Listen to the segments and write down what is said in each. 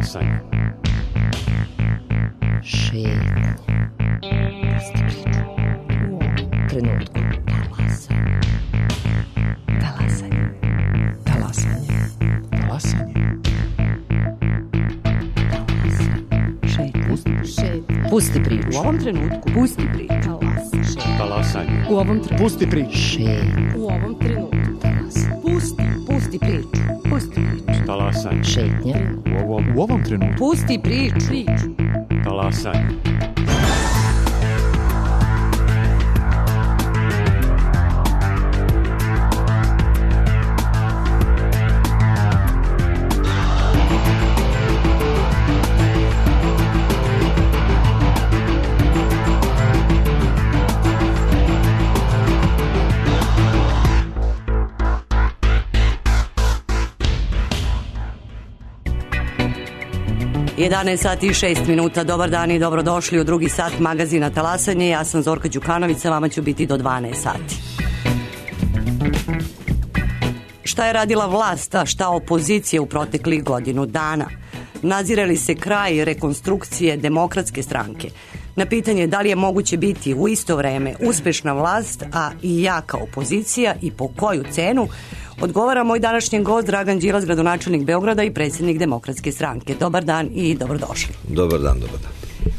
Talasanje. Šetnje. Pusti priču. U ovom trenutku. Talasanje. Talasanje. Talasanje. Šetnje. Pusti priču. U ovom trenutku. Pusti priču. Talasanje. U ovom trenutku. Pusti priču. Šetnje. U ovom trenutku. Pusti priču. Pusti priču. Talasanje. Šetnje. U ovom trenutku. Pusti priču. Talasanje. Jedanaest sati i 6 minuta. Dobar dan i dobrodošli u drugi sat magazina Talasanje. Ja sam Zorka Đukanović, sa vama ću biti do 12 sati. Šta je radila vlast, a šta opozicija u proteklih godinu dana? Nadzire li se kraj rekonstrukcije Demokratske stranke? Na pitanje da li je moguće biti u isto vreme uspešna vlast, a i jaka opozicija i po koju cenu, odgovara moj današnji gost Dragan Đilas, gradonačelnik Beograda i predsjednik Demokratske stranke. Dobar dan i dobrodošli. Dobar dan, dobar dan.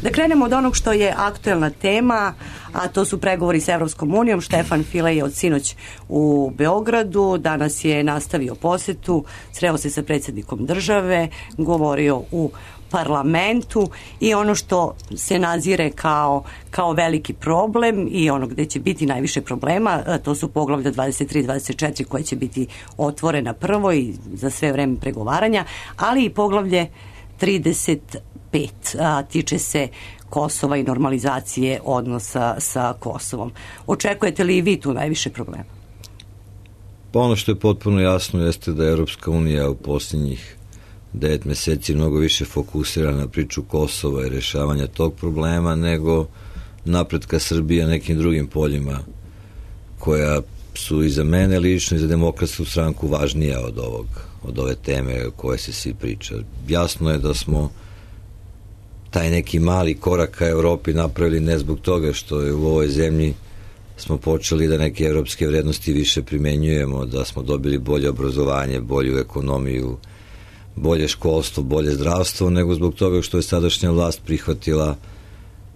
Da krenemo od onog što je aktuelna tema, a to su pregovori s Evropskom unijom. Štefan File je od sinoć u Beogradu, danas je nastavio posetu, sreo se sa predsjednikom države, govorio u parlamentu i ono što se nazire kao veliki problem i ono gde će biti najviše problema, to su poglavlja 23 i 24 koje će biti otvorena prvo i za sve vreme pregovaranja, ali i poglavlje 35 tiče se Kosova i normalizacije odnosa sa Kosovom. Očekujete li i vi tu najviše problema? Pa ono što je potpuno jasno jeste da je Evropska unija u posljednjih 9 meseci mnogo više fokusira na priču Kosova i rešavanja tog problema nego napretka Srbije na nekim drugim poljima koja su i za mene lično i za Demokratsku stranku važnija od ove teme o koje se svi priča. Jasno je da smo taj neki mali korak ka Evropi napravili ne zbog toga što je u ovoj zemlji smo počeli da neke evropske vrednosti više primenjujemo, da smo dobili bolje obrazovanje, bolju ekonomiju, bolje školstvo, bolje zdravstvo, nego zbog toga što je sadašnja vlast prihvatila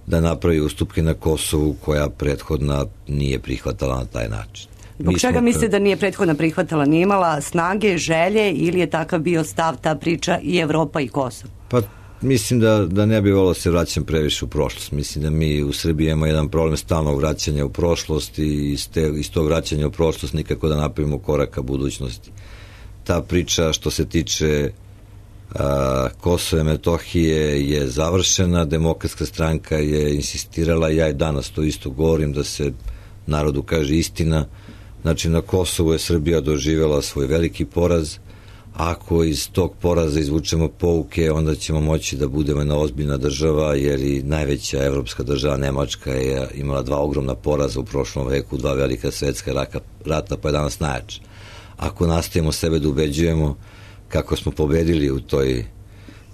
da napravi ustupke na Kosovu koja prethodna nije prihvatala na taj način. Zbog čega mislite da nije prethodna prihvatala? Nije imala snage, želje ili je takav bio stav, ta priča i Evropa i Kosovo? Pa mislim da ne bi volio se vraćam previše u prošlost. Mislim da mi u Srbiji imamo jedan problem stalnog vraćanja u prošlost i iz tog vraćanja u prošlost nikako da napravimo korak ka budućnosti. Ta priča što se tiče Kosova i Metohije je završena, Demokratska stranka je insistirala, ja i danas to isto govorim, da se narodu kaže istina. Znači na Kosovu je Srbija doživjela svoj veliki poraz. Ako iz tog poraza izvučemo pouke, onda ćemo moći da budemo jedna ozbiljna država, jer i najveća evropska država Nemačka je imala 2 ogromna poraza u prošlom veku, 2 velika svetska rata, pa je danas najjača. Ako nastavimo sebe da ubeđujemo kako smo pobedili u toj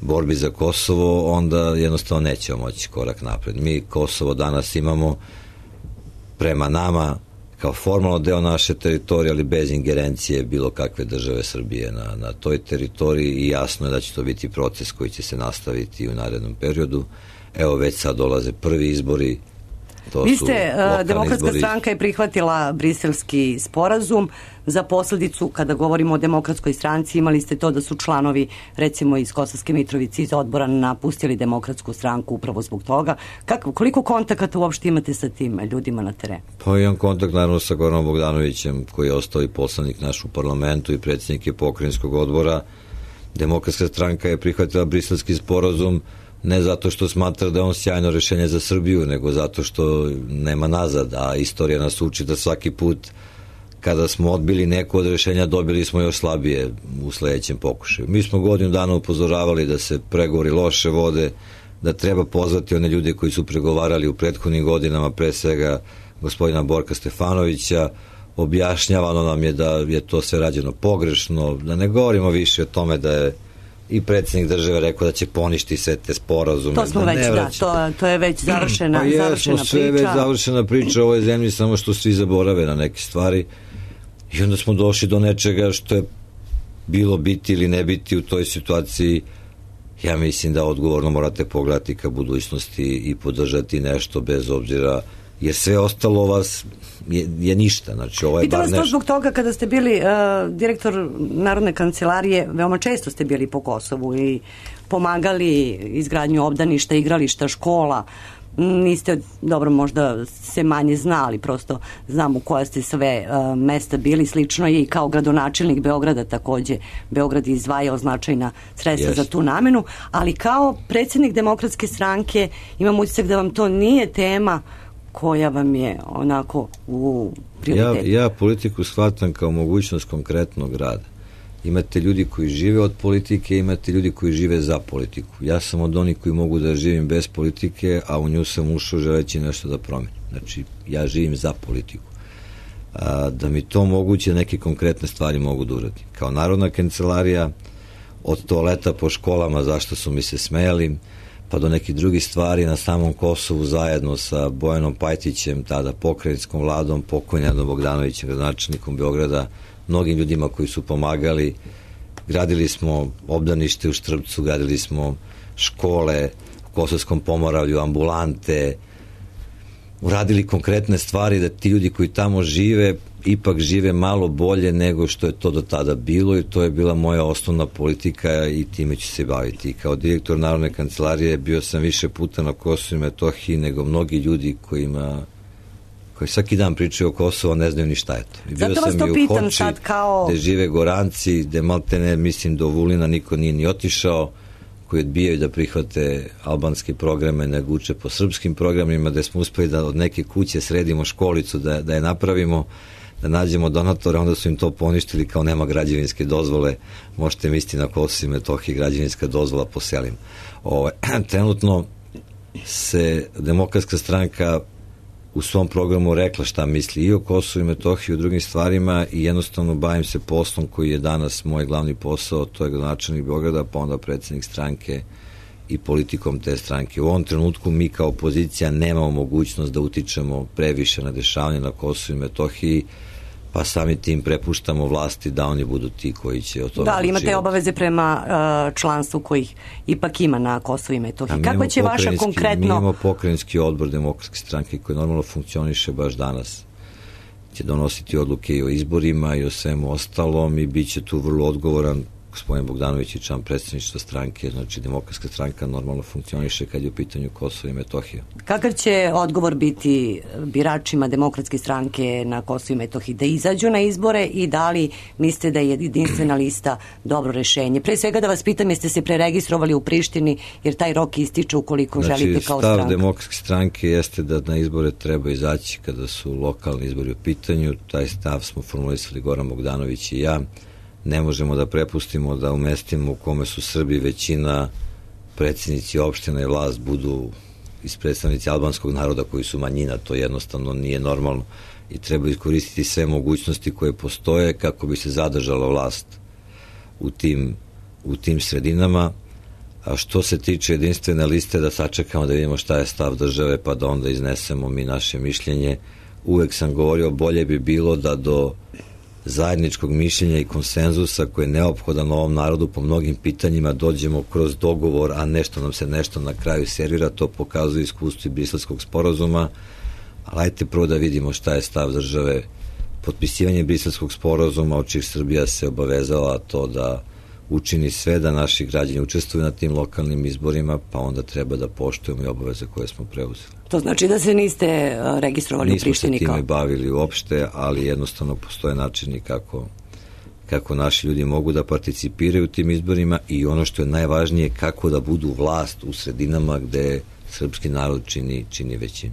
borbi za Kosovo, onda jednostavno nećemo moći korak napred. Mi Kosovo danas imamo prema nama kao formalno deo naše teritorije, ali bez ingerencije bilo kakve države Srbije na toj teritoriji i jasno je da će to biti proces koji će se nastaviti u narednom periodu. Evo već sad dolaze prvi izbori. Vi ste, Demokratska stranka je prihvatila briselski sporazum. Za posljedicu, kada govorimo o Demokratskoj stranci, imali ste to da su članovi, recimo iz Kosovske Mitrovice, iz odbora napustili Demokratsku stranku upravo zbog toga. Koliko kontakata uopšte imate sa tim ljudima na terenu? Pa imam kontakt naravno sa Goranom Bogdanovićem, koji je ostao i poslanik naš u parlamentu i predsjednik je pokrajinskog odbora. Demokratska stranka je prihvatila briselski sporazum ne zato što smatra da je on sjajno rešenje za Srbiju, nego zato što nema nazad, a istorija nas uči da svaki put kada smo odbili neko od rešenja dobili smo još slabije u sledećem pokušaju. Mi smo godinu dana upozoravali da se pregovori loše vode, da treba pozvati one ljude koji su pregovarali u prethodnim godinama, pre svega gospodina Borka Stefanovića. Objašnjavano nam je da je to sve rađeno pogrešno, da ne govorimo više o tome da je i predsjednik države rekao da će poništi sve te sporazume. To smo već, to je već završena priča. Sve je već završena priča u ovoj zemlji, samo što svi zaborave na neke stvari i onda smo došli do nečega što je bilo biti ili ne biti u toj situaciji. Ja mislim da odgovorno morate pogledati ka budućnosti i podržati nešto bez obzira, jer sve ostalo vas je ništa. Znači, ovo je Pitam bar vas to zbog toga kada ste bili direktor Narodne kancelarije, veoma često ste bili po Kosovu i pomagali izgradnju obdaništa, igrališta, škola. Niste, dobro, možda se manje znali, prosto znam u koja ste sve mesta bili. Slično je i kao gradonačelnik Beograda, takođe Beograd je izdvajao značajna sredstva za tu namenu, ali kao predsjednik Demokratske stranke imam utisak da vam to nije tema koja vam je onako u prioritetu. Ja politiku shvatam kao mogućnost konkretnog rada. Imate ljudi koji žive od politike, imate ljudi koji žive za politiku. Ja sam od onih koji mogu da živim bez politike, a u nju sam ušao želeći nešto da promenim. Znači, ja živim za politiku. Da mi to omoguće, neke konkretne stvari mogu da uradim. Kao Narodna kancelarija, od toaleta po školama, zašto su mi se smejali, pa do nekih drugih stvari na samom Kosovu zajedno sa Bojanom Pajtićem, tada pokrajinskom vladom, pokojnim Bogdanovićem, gradonačelnikom Beograda, mnogim ljudima koji su pomagali. Gradili smo obdanište u Štrpcu, gradili smo škole u Kosovskom Pomoravlju, ambulante, uradili konkretne stvari da ti ljudi koji tamo žive ipak žive malo bolje nego što je to do tada bilo, i to je bila moja osnovna politika i time ću se baviti. Kao direktor Narodne kancelarije bio sam više puta na Kosovu i Metohiji nego mnogi ljudi koji svaki dan pričaju o Kosovu, ne znaju ni šta je to. Zato vas to pitam sad kao... gde žive Goranci, gde maltene, mislim, do Vulina niko nije ni otišao, koji odbijaju da prihvate albanske programe, nego uče po srpskim programima, gde smo uspeli da od neke kuće sredimo školicu, da je napravimo, da nađemo donatore, onda su im to poništili kao nema građevinske dozvole. Možete misliti na Kosovu i Metohiji građevinska dozvola po selima. Trenutno se Demokratska stranka u svom programu rekla šta misli i o Kosovu i Metohiji i o drugim stvarima i jednostavno bavim se poslom koji je danas moj glavni posao, to je gradonačelnik Beograda, pa onda predsjednik stranke i politikom te stranke. U ovom trenutku mi kao opozicija nemamo mogućnost da utičemo previše na dešavanje na Kosovu i Metohiji, pa sami tim prepuštamo vlasti da oni budu ti koji će o tome da, ali imate obaveze prema članstvu kojih ipak ima na Kosovu i Metohiji. Kakva će vaša konkretno... Mi imamo pokrajinski odbor Demokratske stranke koji normalno funkcioniše baš danas. Će donositi odluke i o izborima i o svemu ostalom i bit će tu vrlo odgovoran gospodin Bogdanović i član predsjedništva stranke. Znači, Demokratska stranka normalno funkcioniše kad je u pitanju Kosovo i Metohija. Kakav će odgovor biti biračima Demokratske stranke na Kosovu i Metohiji da izađu na izbore i da li mislite da je jedinstvena lista dobro rešenje? Pre svega da vas pitam, jeste se preregistrovali u Prištini, jer taj rok ističe ukoliko želite kao stranka. Stav Demokratske stranke jeste da na izbore treba izaći kada su lokalni izbori u pitanju. Taj stav smo formulisali Goran Bogdanović i ja. Ne možemo da prepustimo da u mestima u kome su Srbi većina, predsjednici opština i vlast budu iz predstavnici albanskog naroda koji su manjina. To jednostavno nije normalno i treba iskoristiti sve mogućnosti koje postoje kako bi se zadržala vlast u tim sredinama. A što se tiče jedinstvene liste, da sačekamo da vidimo šta je stav države pa da onda iznesemo mi naše mišljenje. Uvek sam govorio, bolje bi bilo da do zajedničkog mišljenja i konsenzusa koji je neophodan ovom narodu po mnogim pitanjima dođemo kroz dogovor, a nešto na kraju servira. To pokazuje iskustvo i Briselskog sporazuma. Ali ajte prvo da vidimo šta je stav države. Potpisivanje Briselskog sporazuma, od čih Srbija se obavezala to da učini sve da naši građani učestvuju na tim lokalnim izborima, pa onda treba da poštujemo i obaveze koje smo preuzeli. To znači da se niste registrovali u Prištini? Nismo se time bavili uopšte, ali jednostavno postoje načini kako naši ljudi mogu da participiraju u tim izborima i ono što je najvažnije, kako da budu vlast u sredinama gde srpski narod čini većinu.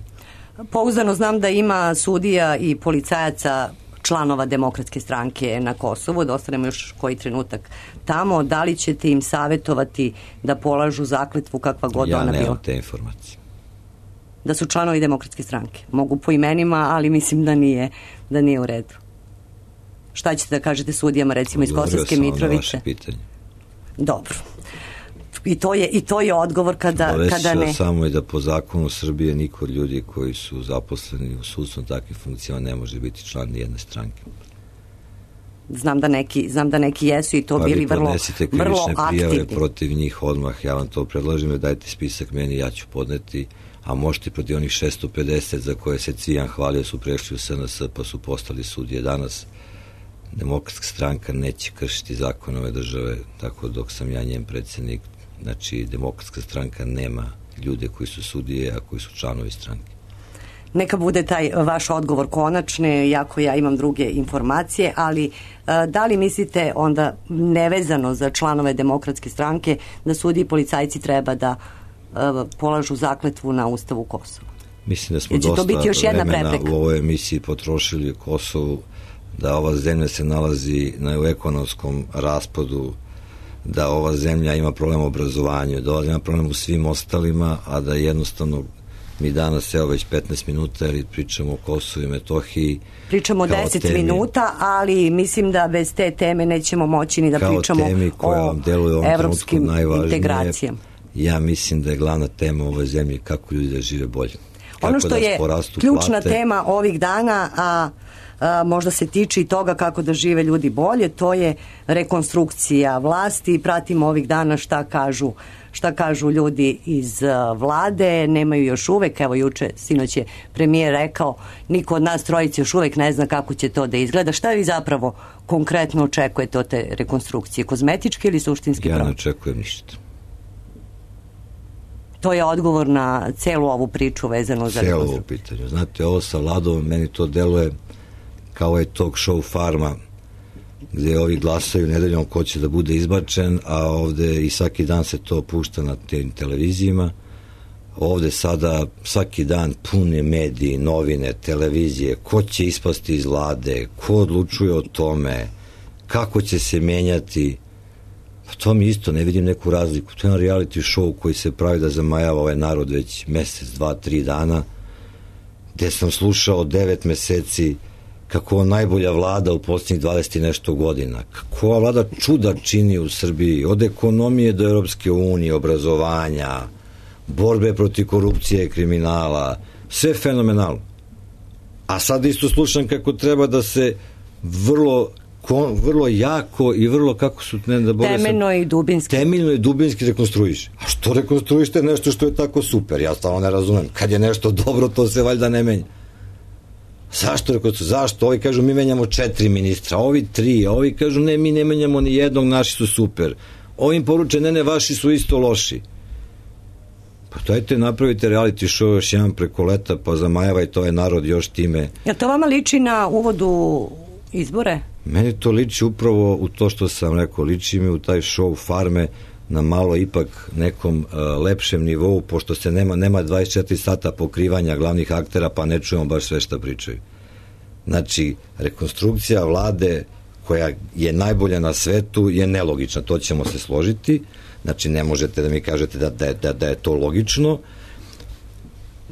Pouzdano znam da ima sudija i policajaca članova Demokratske stranke na Kosovu, da ostanemo još koji trenutak tamo. Da li ćete im savjetovati da polažu zakletvu kakva god ona bila? Ja nemam te informacije. Da su članovi Demokratske stranke. Mogu po imenima, ali mislim da nije u redu. Šta ćete da kažete sudijama, recimo iz Kosovske Mitrovice? Dobro. I to je odgovor kada ne... Samo i da po zakonu Srbije niko od ljudi koji su zaposleni u sudstvu takvih funkcija ne može biti član nijedne stranke. Znam da neki jesu i to bili vrlo aktivni. Pa vi podnesite krivične prijave protiv njih odmah, ja vam to predlažem, dajte spisak meni, ja ću podneti, a možete protiv onih 650 za koje se Cvijan hvalio su prešli u SNS pa su postali sudije danas. Demokratska stranka neće kršiti zakon ove države, tako dok sam ja njen predsjednik. Znači, Demokratska stranka nema ljude koji su sudije, a koji su članovi stranke. Neka bude taj vaš odgovor konačni, iako ja imam druge informacije, ali da li mislite onda nevezano za članove Demokratske stranke da sudije i policajci treba da polažu zakletvu na Ustavu Kosova? Mislim da smo dosta vremena u ovoj emisiji potrošili u Kosovu, da ova zemlja se nalazi u ekonomskom raspadu, da ova zemlja ima problem u obrazovanju, da ova ima problem u svim ostalima, a da jednostavno mi danas, evo već 15 minuta, jer pričamo o Kosovu i Metohiji. Pričamo 10 minuta, ali mislim da bez te teme nećemo moći ni da pričamo o evropskim integracijama. Ja mislim da je glavna tema u ovoj zemlji kako ljudi da žive bolje. Ono što je ključna tema ovih dana, a možda se tiče i toga kako da žive ljudi bolje, to je rekonstrukcija vlasti. Pratimo ovih dana šta kažu ljudi iz vlade, nemaju još uvek, evo juče, sinoć je premijer rekao, niko od nas trojice još uvek ne zna kako će to da izgleda. Šta vi zapravo konkretno očekujete od te rekonstrukcije? Kozmetički ili suštinski Ja ne očekujem ništa. To je odgovor na celu ovu priču vezano za rekonstrukciju. Celo ovo pitanje. Znate, ovo sa vladom, meni to deluje kao je talk show Farma, gde ovi glasaju nedeljom ko će da bude izbačen, a ovde i svaki dan se to pušta na tim televizijima. Ovde sada svaki dan pune mediji, novine, televizije, ko će ispasti iz vlade, ko odlučuje o tome, kako će se menjati. Pa to mi isto, ne vidim neku razliku. To je jedan reality show koji se pravi da zamajava ovaj narod već mesec, 2, 3 dana, gde sam slušao 9 meseci kako najbolja vlada u posljednjih 20 i nešto godina. Kako ova vlada čuda čini u Srbiji, od ekonomije do Europske unije, obrazovanja, borbe protiv korupcije i kriminala, sve fenomenalno. A sad isto slušam kako treba da se vrlo jako i vrlo, kako su... Temeljno i dubinski rekonstruiše. A što rekonstruište nešto što je tako super? Ja stvarno ne razumem. Kad je nešto dobro, to se valjda ne menja. Zašto? Ovi kažu mi menjamo 4 ministra, ovi 3, a ovi kažu ne, mi ne menjamo ni jednog, naši su super. Ovim poruče, ne, vaši su isto loši. Pa dajte napravite reality show još jedan preko leta, pa zamajavajte ovaj narod još time. Jel to vama liči na uvodu izbore? Meni to liči upravo u to što sam rekao, liči mi u taj show Farme na malo ipak nekom lepšem nivou, pošto se nema 24 sata pokrivanja glavnih aktera, pa ne čujemo baš sve šta pričaju. Znači, rekonstrukcija vlade koja je najbolja na svetu je nelogična, to ćemo se složiti. Znači, ne možete da mi kažete da je to logično.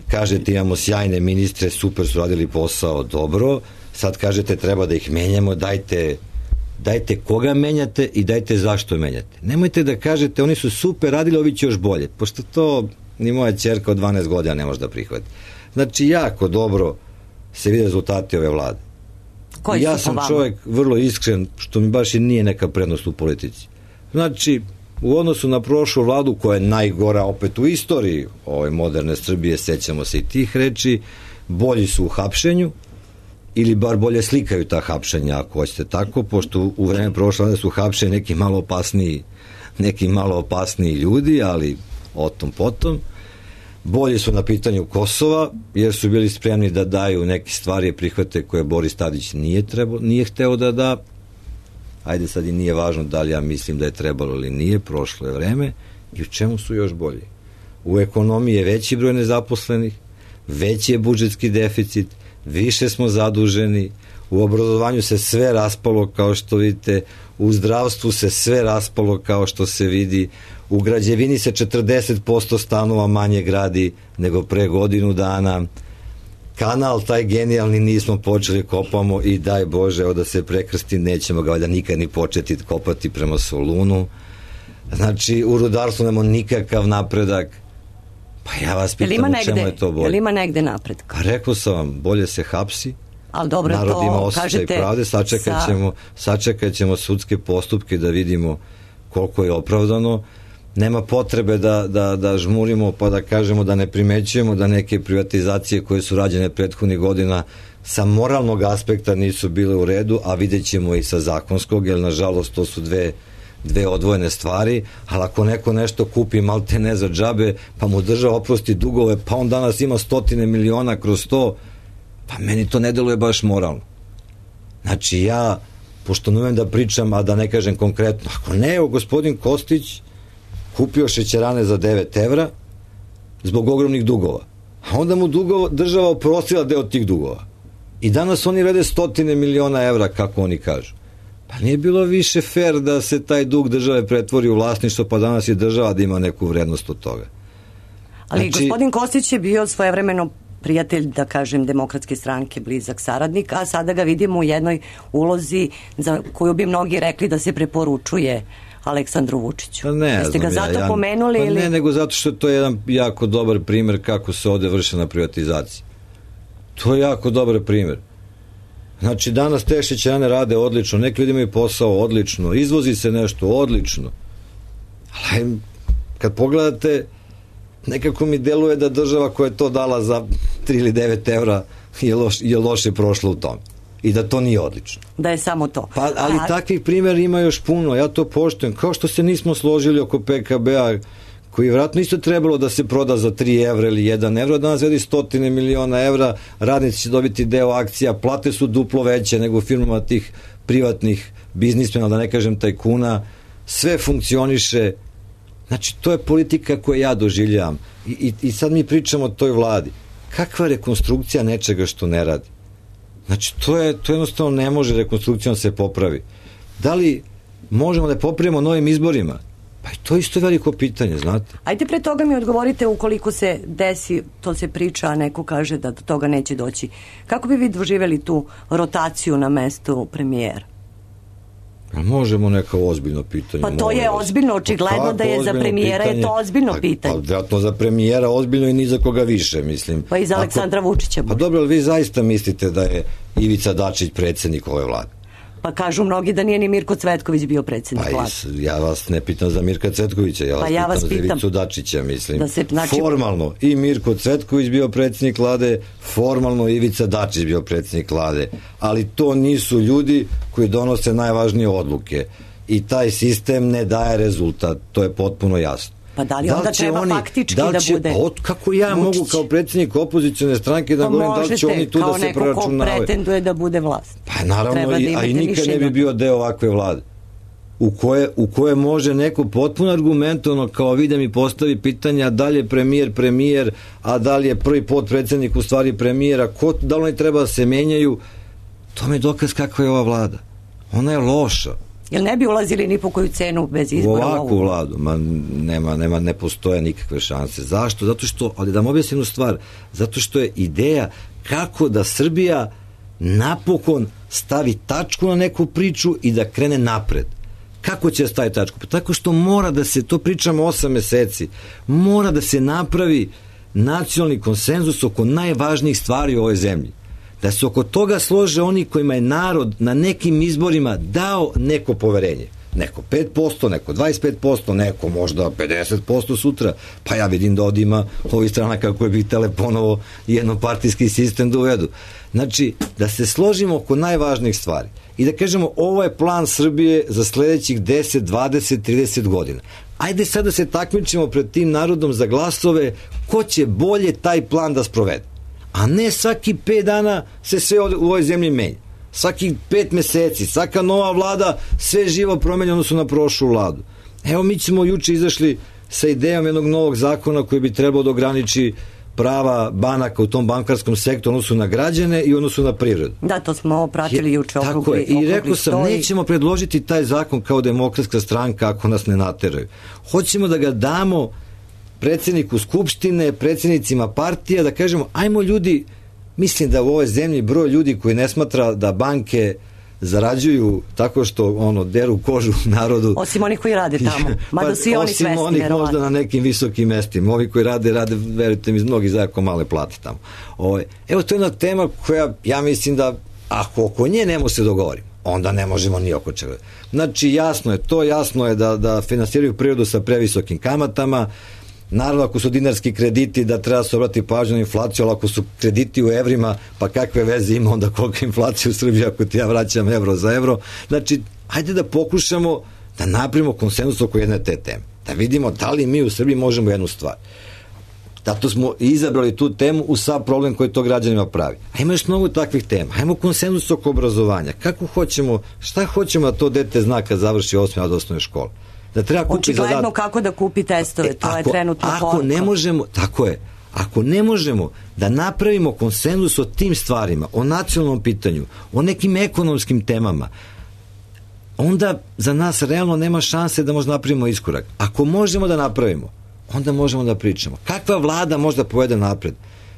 Kažete, imamo sjajne ministre, super su radili posao, dobro. Sad kažete, treba da ih menjamo, dajte koga menjate i dajte zašto menjate. Nemojte da kažete, oni su super radili, ovi će još bolje, pošto to ni moja ćerka od 12 godina ne može da prihvati. Znači, jako dobro se vide rezultati ove vlade. Ja sam čovjek vrlo iskren, što mi baš i nije neka prednost u politici. Znači, u odnosu na prošlu vladu, koja je najgora opet u istoriji ove moderne Srbije, sećamo se i tih reči, bolji su u hapšenju, ili bar bolje slikaju ta hapšenja, ako hoćete tako, pošto u vreme prošle vlade su hapšeni neki malo opasniji ljudi, ali o tom potom. Bolji su na pitanju Kosova, jer su bili spremni da daju neke stvari i prihvate koje Boris Tadić nije hteo da da. Ajde, sad i nije važno da li ja mislim da je trebalo ili nije, prošlo je vreme. I u čemu su još bolji? U ekonomiji je veći broj nezaposlenih, veći je budžetski deficit, više smo zaduženi, u obrazovanju se sve raspalo kao što vidite, u zdravstvu se sve raspalo kao što se vidi, u građevini se 40% stanova manje gradi nego pre godinu dana, kanal taj genijalni nismo počeli, kopamo i daj Bože, evo da se prekrsti, nećemo ga valjda nikad ni početi kopati prema Solunu. Znači, u rudarstvu nemamo nikakav napredak. Pa ja vas pitam u čemu je to bolje. Jel ima negde napredak? Pa rekao sam vam, bolje se hapsi, ali dobro, narod to ima osjećaj kažete pravde, sačekat ćemo sudske postupke da vidimo koliko je opravdano. Nema potrebe da žmurimo pa da kažemo da ne primećujemo da neke privatizacije koje su rađene prethodnih godina sa moralnog aspekta nisu bile u redu, a vidjet ćemo i sa zakonskog, jer nažalost to su dve odvojene stvari, ali ako neko nešto kupi malte ne za džabe, pa mu država oprosti dugove, pa on danas ima 100 miliona kroz to, pa meni to ne deluje baš moralno. Znači ja, pošto ne umem da pričam, a da ne kažem konkretno, ako ne, evo gospodin Kostić kupio šećerane za 9 evra zbog ogromnih dugova, a onda mu država oprostila deo tih dugova. I danas oni vrede 100 miliona evra, kako oni kažu. Pa nije bilo više fair da se taj dug države pretvori u vlasništvo, pa danas je država da ima neku vrednost od toga. Ali znači, gospodin Kostić je bio svojevremeno prijatelj, da kažem, Demokratske stranke, blizak saradnik, a sada ga vidimo u jednoj ulozi za koju bi mnogi rekli da se preporučuje Aleksandru Vučiću. Pa ne, jeste ga zato pomenuli? Pa ili? Ne, nego zato što to je jedan jako dobar primer kako se ovde vrše na privatizaciji. To je jako dobar primer. Znači, danas te šećerane rade odlično, neki ljudi imaju posao odlično, izvozi se nešto odlično. Ali kad pogledate, nekako mi deluje da država koja je to dala za 3 ili 9 evra je loše prošla u tom. I da to nije odlično. Da je samo to. Pa, ali takvih primjera ima još puno, ja to poštujem. Kao što se nismo složili oko PKB-a, koji je vratno isto trebalo da se proda za 3 evra ili 1 evro, danas vedi 100 miliona evra, radnici će dobiti deo akcija, plate su duplo veće nego u firmama tih privatnih biznismena, da ne kažem tajkuna, sve funkcioniše. Znači, to je politika koju ja doživljavam. I sad mi pričamo o toj vladi. Kakva rekonstrukcija nečega što ne radi? Znači, to jednostavno ne može rekonstrukcijom se popravi. Da li možemo da popravimo novim izborima? Pa i to je isto veliko pitanje, znate. Ajde pre toga mi odgovorite, ukoliko se desi, to se priča, a neko kaže da do toga neće doći. Kako bi vi doživjeli tu rotaciju na mestu premijera? Možemo neka ozbiljno pitanje. Pa to je ozbiljno, očigledno da je za premijera pitanje? Je to ozbiljno pitanje. Pa vjerojatno za premijera ozbiljno i ni za koga više, mislim. Pa i za Aleksandra Vučića. Pa dobro, ali vi zaista mislite da je Ivica Dačić predsjednik ove vlade? Pa kažu mnogi da nije ni Mirko Cvetković bio predsjednik vlade. Ja vas ne pitam za Mirka Cvetkovića, ja vas pitam za Ivicu Dačića, mislim. Formalno i Mirko Cvetković bio predsjednik vlade, formalno Ivica Dačić bio predsjednik vlade, ali to nisu ljudi koji donose najvažnije odluke i taj sistem ne daje rezultat, to je potpuno jasno. Pa da li onda treba faktički da bude kako ja Vučić mogu kao predsjednik opozicione stranke da govorim da li će oni tu da se proračunavaju? Kao neko ko pretenduje da bude vlast. Pa naravno, a i nikad ne bi bio deo ovakve vlade u koje može neko potpuno argumentovano kao vi da mi postavi pitanja da li je premijer, a da li je prvi potpredsjednik u stvari premijera, da li oni treba da se menjaju. To mi je dokaz kakva je ova vlada. Ona je loša. Jel ne bi ulazili ni po koju cenu bez izbora? U ovakvu vladu, ne postoje nikakve šanse. Zašto? Zato što, ali da vam objasnim jednu stvar, zato što je ideja kako da Srbija napokon stavi tačku na neku priču i da krene napred. Kako će stavi tačku? Pa tako što mora da se, to pričamo 8 meseci, mora da se napravi nacionalni konsenzus oko najvažnijih stvari u ovoj zemlji. Da se oko toga slože oni kojima je narod na nekim izborima dao neko poverenje. Neko 5%, neko 25%, neko možda 50% sutra. Pa ja vidim da ovdje ima ovih stranaka koje bi htele ponovo jednopartijski sistem da uvedu. Znači, da se složimo oko najvažnijih stvari i da kažemo ovo je plan Srbije za sledećih 10, 20, 30 godina. Ajde sad da se takmičimo pred tim narodom za glasove ko će bolje taj plan da sprovede. A ne svaki 5 dana se sve u ovoj zemlji menja. Svaki 5 meseci, svaka nova vlada, sve živo promenja odnosno na prošlu vladu. Evo mi ćemo juče izašli sa idejom jednog novog zakona koji bi trebao da ograniči prava banaka u tom bankarskom sektoru odnosu na građane i odnosu na privredu. Da, to smo pratili juče. Tako je. I rekao sam, nećemo predložiti taj zakon kao Demokratska stranka ako nas ne nateraju. Hoćemo da ga damo predsjedniku Skupštine, predsjednicima partija, da kažemo, ajmo ljudi, mislim da u ovoj zemlji broj ljudi koji ne smatra da banke zarađuju tako što deru kožu narodu. Osim onih koji rade tamo. Mada su i oni svesni. Osim onih možda na nekim visokim mestima. Ovi koji rade, verujte mi, mnogi za jako male plate tamo. Evo, to je jedna tema koja, ja mislim da ako oko nje ne može se dogovoriti, onda ne možemo ni oko čega. Znači, jasno je da finansiraju privredu sa previsokim kamatama. Naravno, ako su dinarski krediti, da treba se obrati pažnju na inflaciju, ali ako su krediti u evrima, pa kakve veze ima onda kolika inflacija u Srbiji ako ti ja vraćam evro za evro. Znači, hajde da pokušamo da napravimo konsenzus oko jedne te teme. Da vidimo da li mi u Srbiji možemo jednu stvar. Zato smo izabrali tu temu u sav problem koji to građanima pravi. A ima još mnogo takvih tema. Hajmo konsenzus oko obrazovanja. Šta hoćemo da to dete zna kad završi 8. od osnovne škole? Da treba kupi očigledno kako da kupi testove, to je trenutno ako ne možemo, tako je, ako ne možemo da napravimo konsenzus o tim stvarima, o nacionalnom pitanju, o nekim ekonomskim temama, onda za nas realno nema šanse da možemo napravimo iskorak. Ako možemo da napravimo, onda možemo da pričamo. Kakva vlada može da povede napred?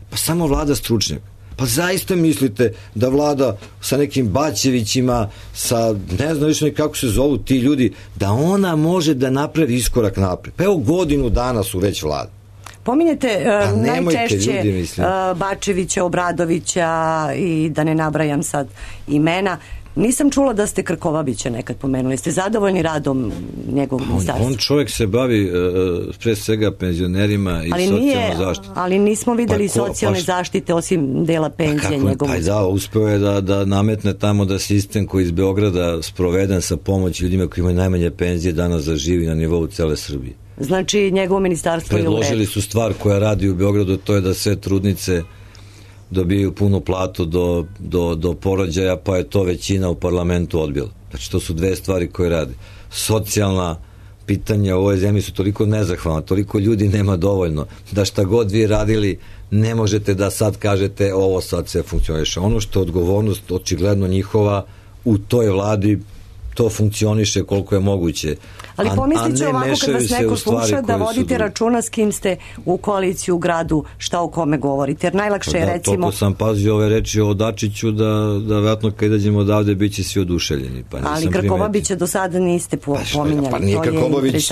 Pa samo vlada stručnjaka. Pa zaista mislite da vlada sa nekim Baćevićima, sa ne znam više kako se zovu ti ljudi, da ona može da napravi iskorak napred? Pa evo godinu dana su već vlada. Pominjete najčešće Bačevića, Obradovića i da ne nabrajam sad imena. Nisam čula da ste Krkobabića nekad pomenuli. Ste zadovoljni radom njegovog ministarstva? On čovjek se bavi pre svega penzionerima i socijalnom zaštitom. Ali nismo videli socijalne zaštite osim dela penzije njegovog. Uspeo je da nametne tamo da sistem koji iz Beograda sproveden sa pomoći ljudima koji imaju najmanje penzije danas zaživi na nivou cele Srbije. Znači njegovo ministarstvo je u redu. Predložili su stvar koja radi u Beogradu, to je da sve trudnice dobijaju punu platu do porođaja, pa je to većina u parlamentu odbila. Znači, to su dve stvari koje rade. Socijalna pitanja u ovoj zemlji su toliko nezahvalna, toliko ljudi nema dovoljno, da šta god vi radili, ne možete da sad kažete ovo sad sve funkcioniše. Ono što je odgovornost očigledno njihova u toj vladi, to funkcioniše koliko je moguće. Ali pomislite ovako kad vas neko sluša da vodite računa s kim ste u koaliciji u gradu, šta o kome govorite. Jer najlakše je recimo... Toliko sam pazio ove reči o Dačiću da vjerojatno kad izađemo odavde bit će svi oduševljeni. Ali Krkobabića do sada niste pominjali. Pa nije Krkobabić,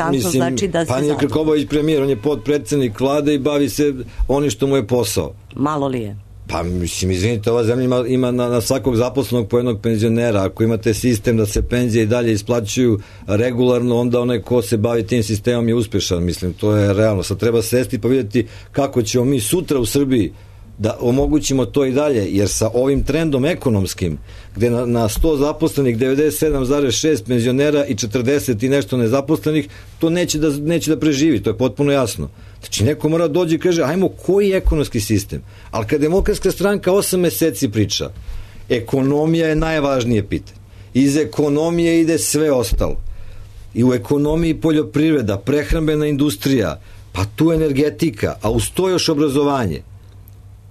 pa nije Krkobabić premijer, on je potpredsednik vlade i bavi se onim što mu je posao. Malo li je? Pa mislim, izvinite, ova zemlja ima na svakog zaposlenog po jednog penzionera. Ako imate sistem da se penzije i dalje isplaćuju regularno, onda onaj ko se bavi tim sistemom je uspešan. Mislim, to je realno. Sad treba sesti pa vidjeti kako ćemo mi sutra u Srbiji da omogućimo to i dalje, jer sa ovim trendom ekonomskim, gde na 100 zaposlenih 97,6 penzionera i 40 i nešto nezaposlenih, to neće da preživi, to je potpuno jasno. Znači, neko mora dođi i kaže, ajmo, koji je ekonomski sistem? Ali kad Demokratska stranka 8 meseci priča, ekonomija je najvažnije pitanje. Iz ekonomije ide sve ostalo. I u ekonomiji poljoprivreda, prehrambena industrija, pa tu energetika, a uz to još obrazovanje.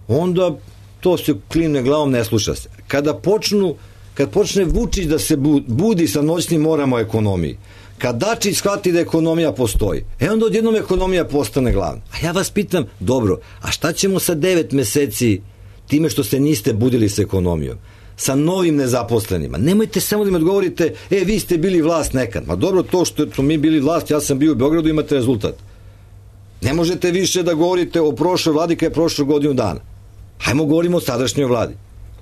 Onda to se klimne glavom, ne sluša se. Kad počne Vučić da se budi sa noćnim morama o ekonomiji, kad Dačić shvati da ekonomija postoji, onda odjednom ekonomija postane glavna. A ja vas pitam, dobro, a šta ćemo sa 9 meseci time što se niste budili sa ekonomijom? Sa novim nezaposlenima. Nemojte samo da mi odgovorite, vi ste bili vlast nekad. Ma dobro, to što smo mi bili vlast, ja sam bio u Beogradu, imate rezultat. Ne možete više da govorite o prošloj vladi kada je prošlo godinu dana. Hajmo govorimo o sadašnjoj vladi.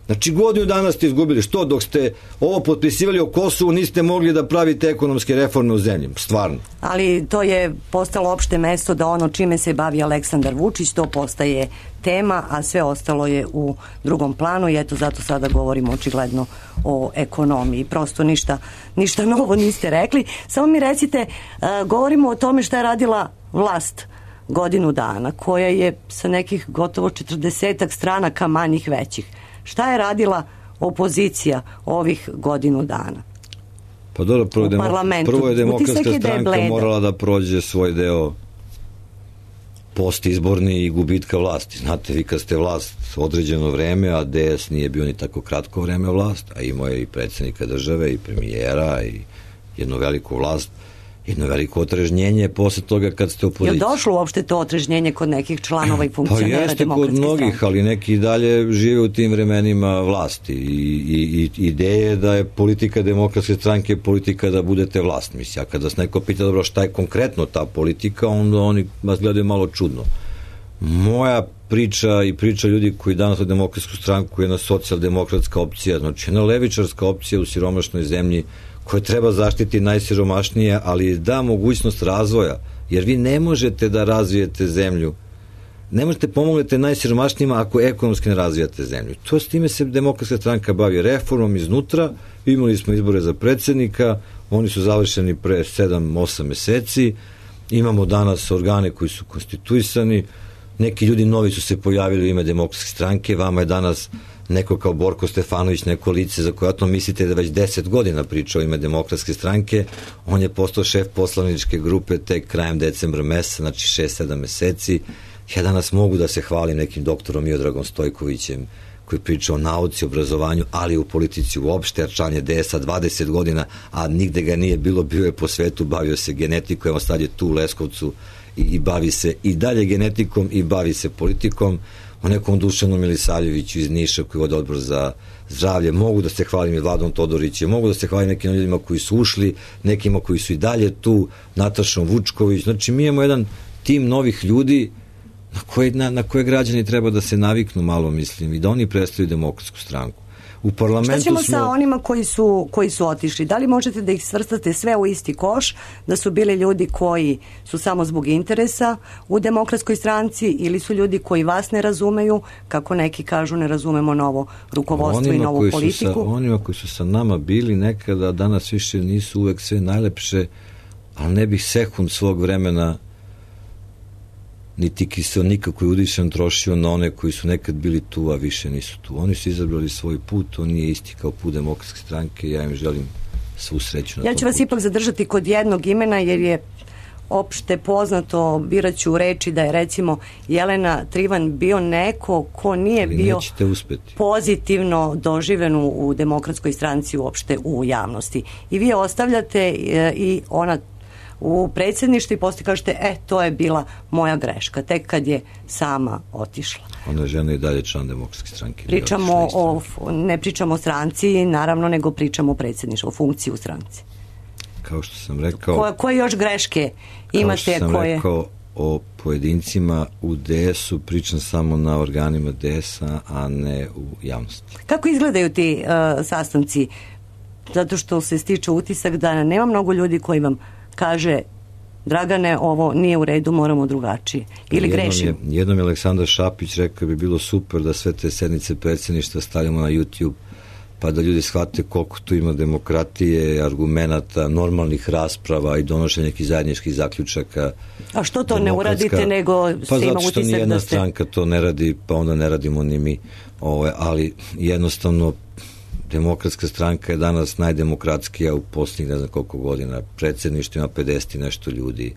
Znači, godinu dana ste izgubili. Što? Dok ste ovo potpisivali o Kosovu, niste mogli da pravite ekonomske reforme u zemlji. Stvarno. Ali to je postalo opšte mesto da ono čime se bavi Aleksandar Vučić, to postaje tema, a sve ostalo je u drugom planu i eto zato sada govorimo očigledno o ekonomiji. Prosto ništa novo niste rekli. Samo mi recite, govorimo o tome šta je radila vlast godinu dana, koja je sa nekih gotovo 40 stranaka manjih većih. Šta je radila opozicija ovih godinu dana? Pa dobro, prvo je Demokratska stranka morala da prođe svoj deo postizborni i gubitka vlasti. Znate, vi kad ste vlast određeno vreme, a DS nije bio ni tako kratko vreme vlast, a imao je i predsjednika države i premijera i jednu veliku vlast, jedno veliko otrežnjenje posle toga kad ste u opoziciji. Je došlo uopšte to otrežnjenje kod nekih članova i funkcionera Demokratske stranke? Pa jeste kod mnogih, ali neki dalje žive u tim vremenima vlasti i ideje da je politika Demokratske stranke politika da budete vlast. Mislim, a kada vas neko pita dobro šta je konkretno ta politika, onda oni vas gledaju malo čudno. Moja priča i priča ljudi koji danas u Demokratsku stranku je jedna socijaldemokratska opcija, znači jedna levičarska opcija u siromašnoj zemlji koja treba zaštiti najsiromašnije, ali da mogućnost razvoja, jer vi ne možete da razvijete zemlju, ne možete pomognete najsiromašnijima ako ekonomski ne razvijate zemlju. To s time se Demokratska stranka bavi reformom iznutra, imali smo izbore za predsjednika, oni su završeni pre 7-8 meseci, imamo danas organe koji su konstituisani, neki ljudi novi su se pojavili u ime Demokratske stranke, vama je danas neko kao Borko Stefanović, neko lice za koje mislite da već 10 godina priča o ime Demokratske stranke, on je postao šef poslaničke grupe tek krajem decembra meseca, znači 6-7 meseci. Ja danas mogu da se hvalim nekim doktorom Miodragom Stojkovićem, koji priča o nauci, obrazovanju, ali i u politici uopšte, jer član je DS-a 20 godina, a nigde ga nije bilo, bio je po svetu, bavio se genetikom, evo sad je tu u Leskovcu i bavi se i dalje genetikom i bavi se politikom. O nekom Dušanu Milisavljeviću iz Niša koji vodi odbor za zdravlje, mogu da se hvalim i Vladom Todorićem, mogu da se hvalim nekim ljudima koji su ušli, nekima koji su i dalje tu, Natašom Vučković, znači mi imamo jedan tim novih ljudi na koje građani treba da se naviknu malo, mislim, i da oni predstavljaju Demokratsku stranku. U parlamentu šta ćemo sa onima koji su otišli? Da li možete da ih svrstate sve u isti koš, da su bili ljudi koji su samo zbog interesa u Demokratskoj stranci ili su ljudi koji vas ne razumeju, kako neki kažu ne razumemo novo rukovodstvo i novu politiku? Onima koji su sa nama bili nekada, danas više nisu uvek sve najlepše, ali ne bih sekund svog vremena niti kiselnika koji udišem trošio na one koji su nekad bili tu, a više nisu tu. Oni su izabrali svoj put, on nije isti kao put Demokratske stranke i ja im želim svu sreću na tom putu. Ja ću vas ipak zadržati kod jednog imena, jer je opšte poznato, biraću reči da je recimo Jelena Trivan bio neko ko nije bio pozitivno doživen u Demokratskoj stranci uopšte u javnosti. I vi ostavljate i ona u predsjedništvu i poslije kažete, to je bila moja greška, tek kad je sama otišla. Ona je žena i dalje član Demokratske stranke. Ne pričamo o stranci, naravno, nego pričamo o predsjedništvu, o funkciji u stranci. Kao što sam rekao... Koje još greške imate? Kao što sam rekao o pojedincima u DS-u, pričam samo na organima DS-a, a ne u javnosti. Kako izgledaju ti sastanci? Zato što se stiče utisak da nema mnogo ljudi koji vam kaže, Dragane, ovo nije u redu, moramo drugačije. Ili grešimo? Jednom je Aleksandar Šapić rekao bi bilo super da sve te sednice predsjedništva stavimo na YouTube, pa da ljudi shvate koliko tu ima demokratije, argumenata, normalnih rasprava i donošenja nekih zajedničkih zaključaka. A što to ne uradite, nego se ima utisak da ste... Pa zato što nijedna stranka to ne radi, pa onda ne radimo ni mi. Ali jednostavno Demokratska stranka je danas najdemokratskija u posljednjih ne znam koliko godina. Predsjedništvo ima 50 i nešto ljudi.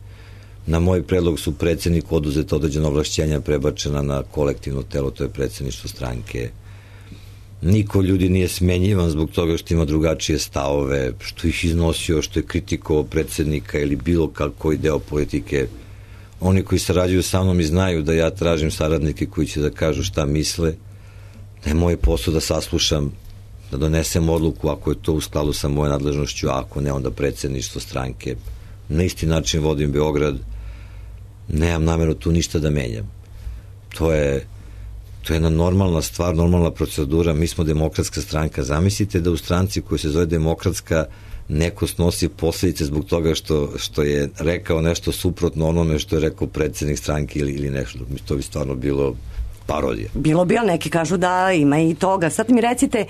Na moj predlog su predsjedniku oduzeta određena ovlašćenja prebačena na kolektivno telo, to je predsjedništvo stranke. Niko ljudi nije smenjivan zbog toga što ima drugačije stavove, što ih iznosio, što je kritikovao predsjednika ili bilo koji deo politike. Oni koji sarađuju sa mnom i znaju da ja tražim saradnike koji će da kažu šta misle, da je moj posao da saslušam, da donesem odluku ako je to u skladu sa mojoj nadležnošću, a ako ne, onda predsjedništvo stranke. Na isti način vodim Beograd, nemam nameru tu ništa da menjam. To je jedna normalna stvar, normalna procedura, mi smo Demokratska stranka. Zamislite da u stranci koja se zove Demokratska neko snosi posljedice zbog toga što je rekao nešto suprotno onome što je rekao predsjednik stranke ili nešto. To bi stvarno bilo parodija. Bilo bi, ali neki kažu da ima i toga. Sad mi recite,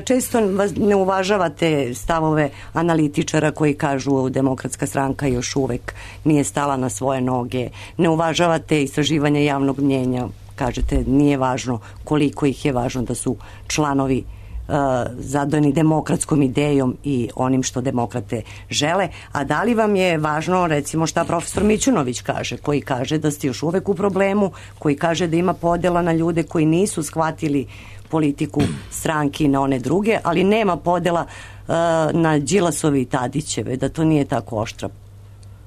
često ne uvažavate stavove analitičara koji kažu Demokratska stranka još uvek nije stala na svoje noge. Ne uvažavate istraživanja javnog mnjenja. Kažete, nije važno koliko ih je, važno da su članovi zadojeni demokratskom idejom i onim što demokrate žele. A da li vam je važno, recimo, šta profesor Mićunović kaže, koji kaže da ste još uvek u problemu, koji kaže da ima podela na ljude koji nisu shvatili politiku stranki na one druge, ali nema podela na Đilasovi i Tadićeve, da to nije tako oštra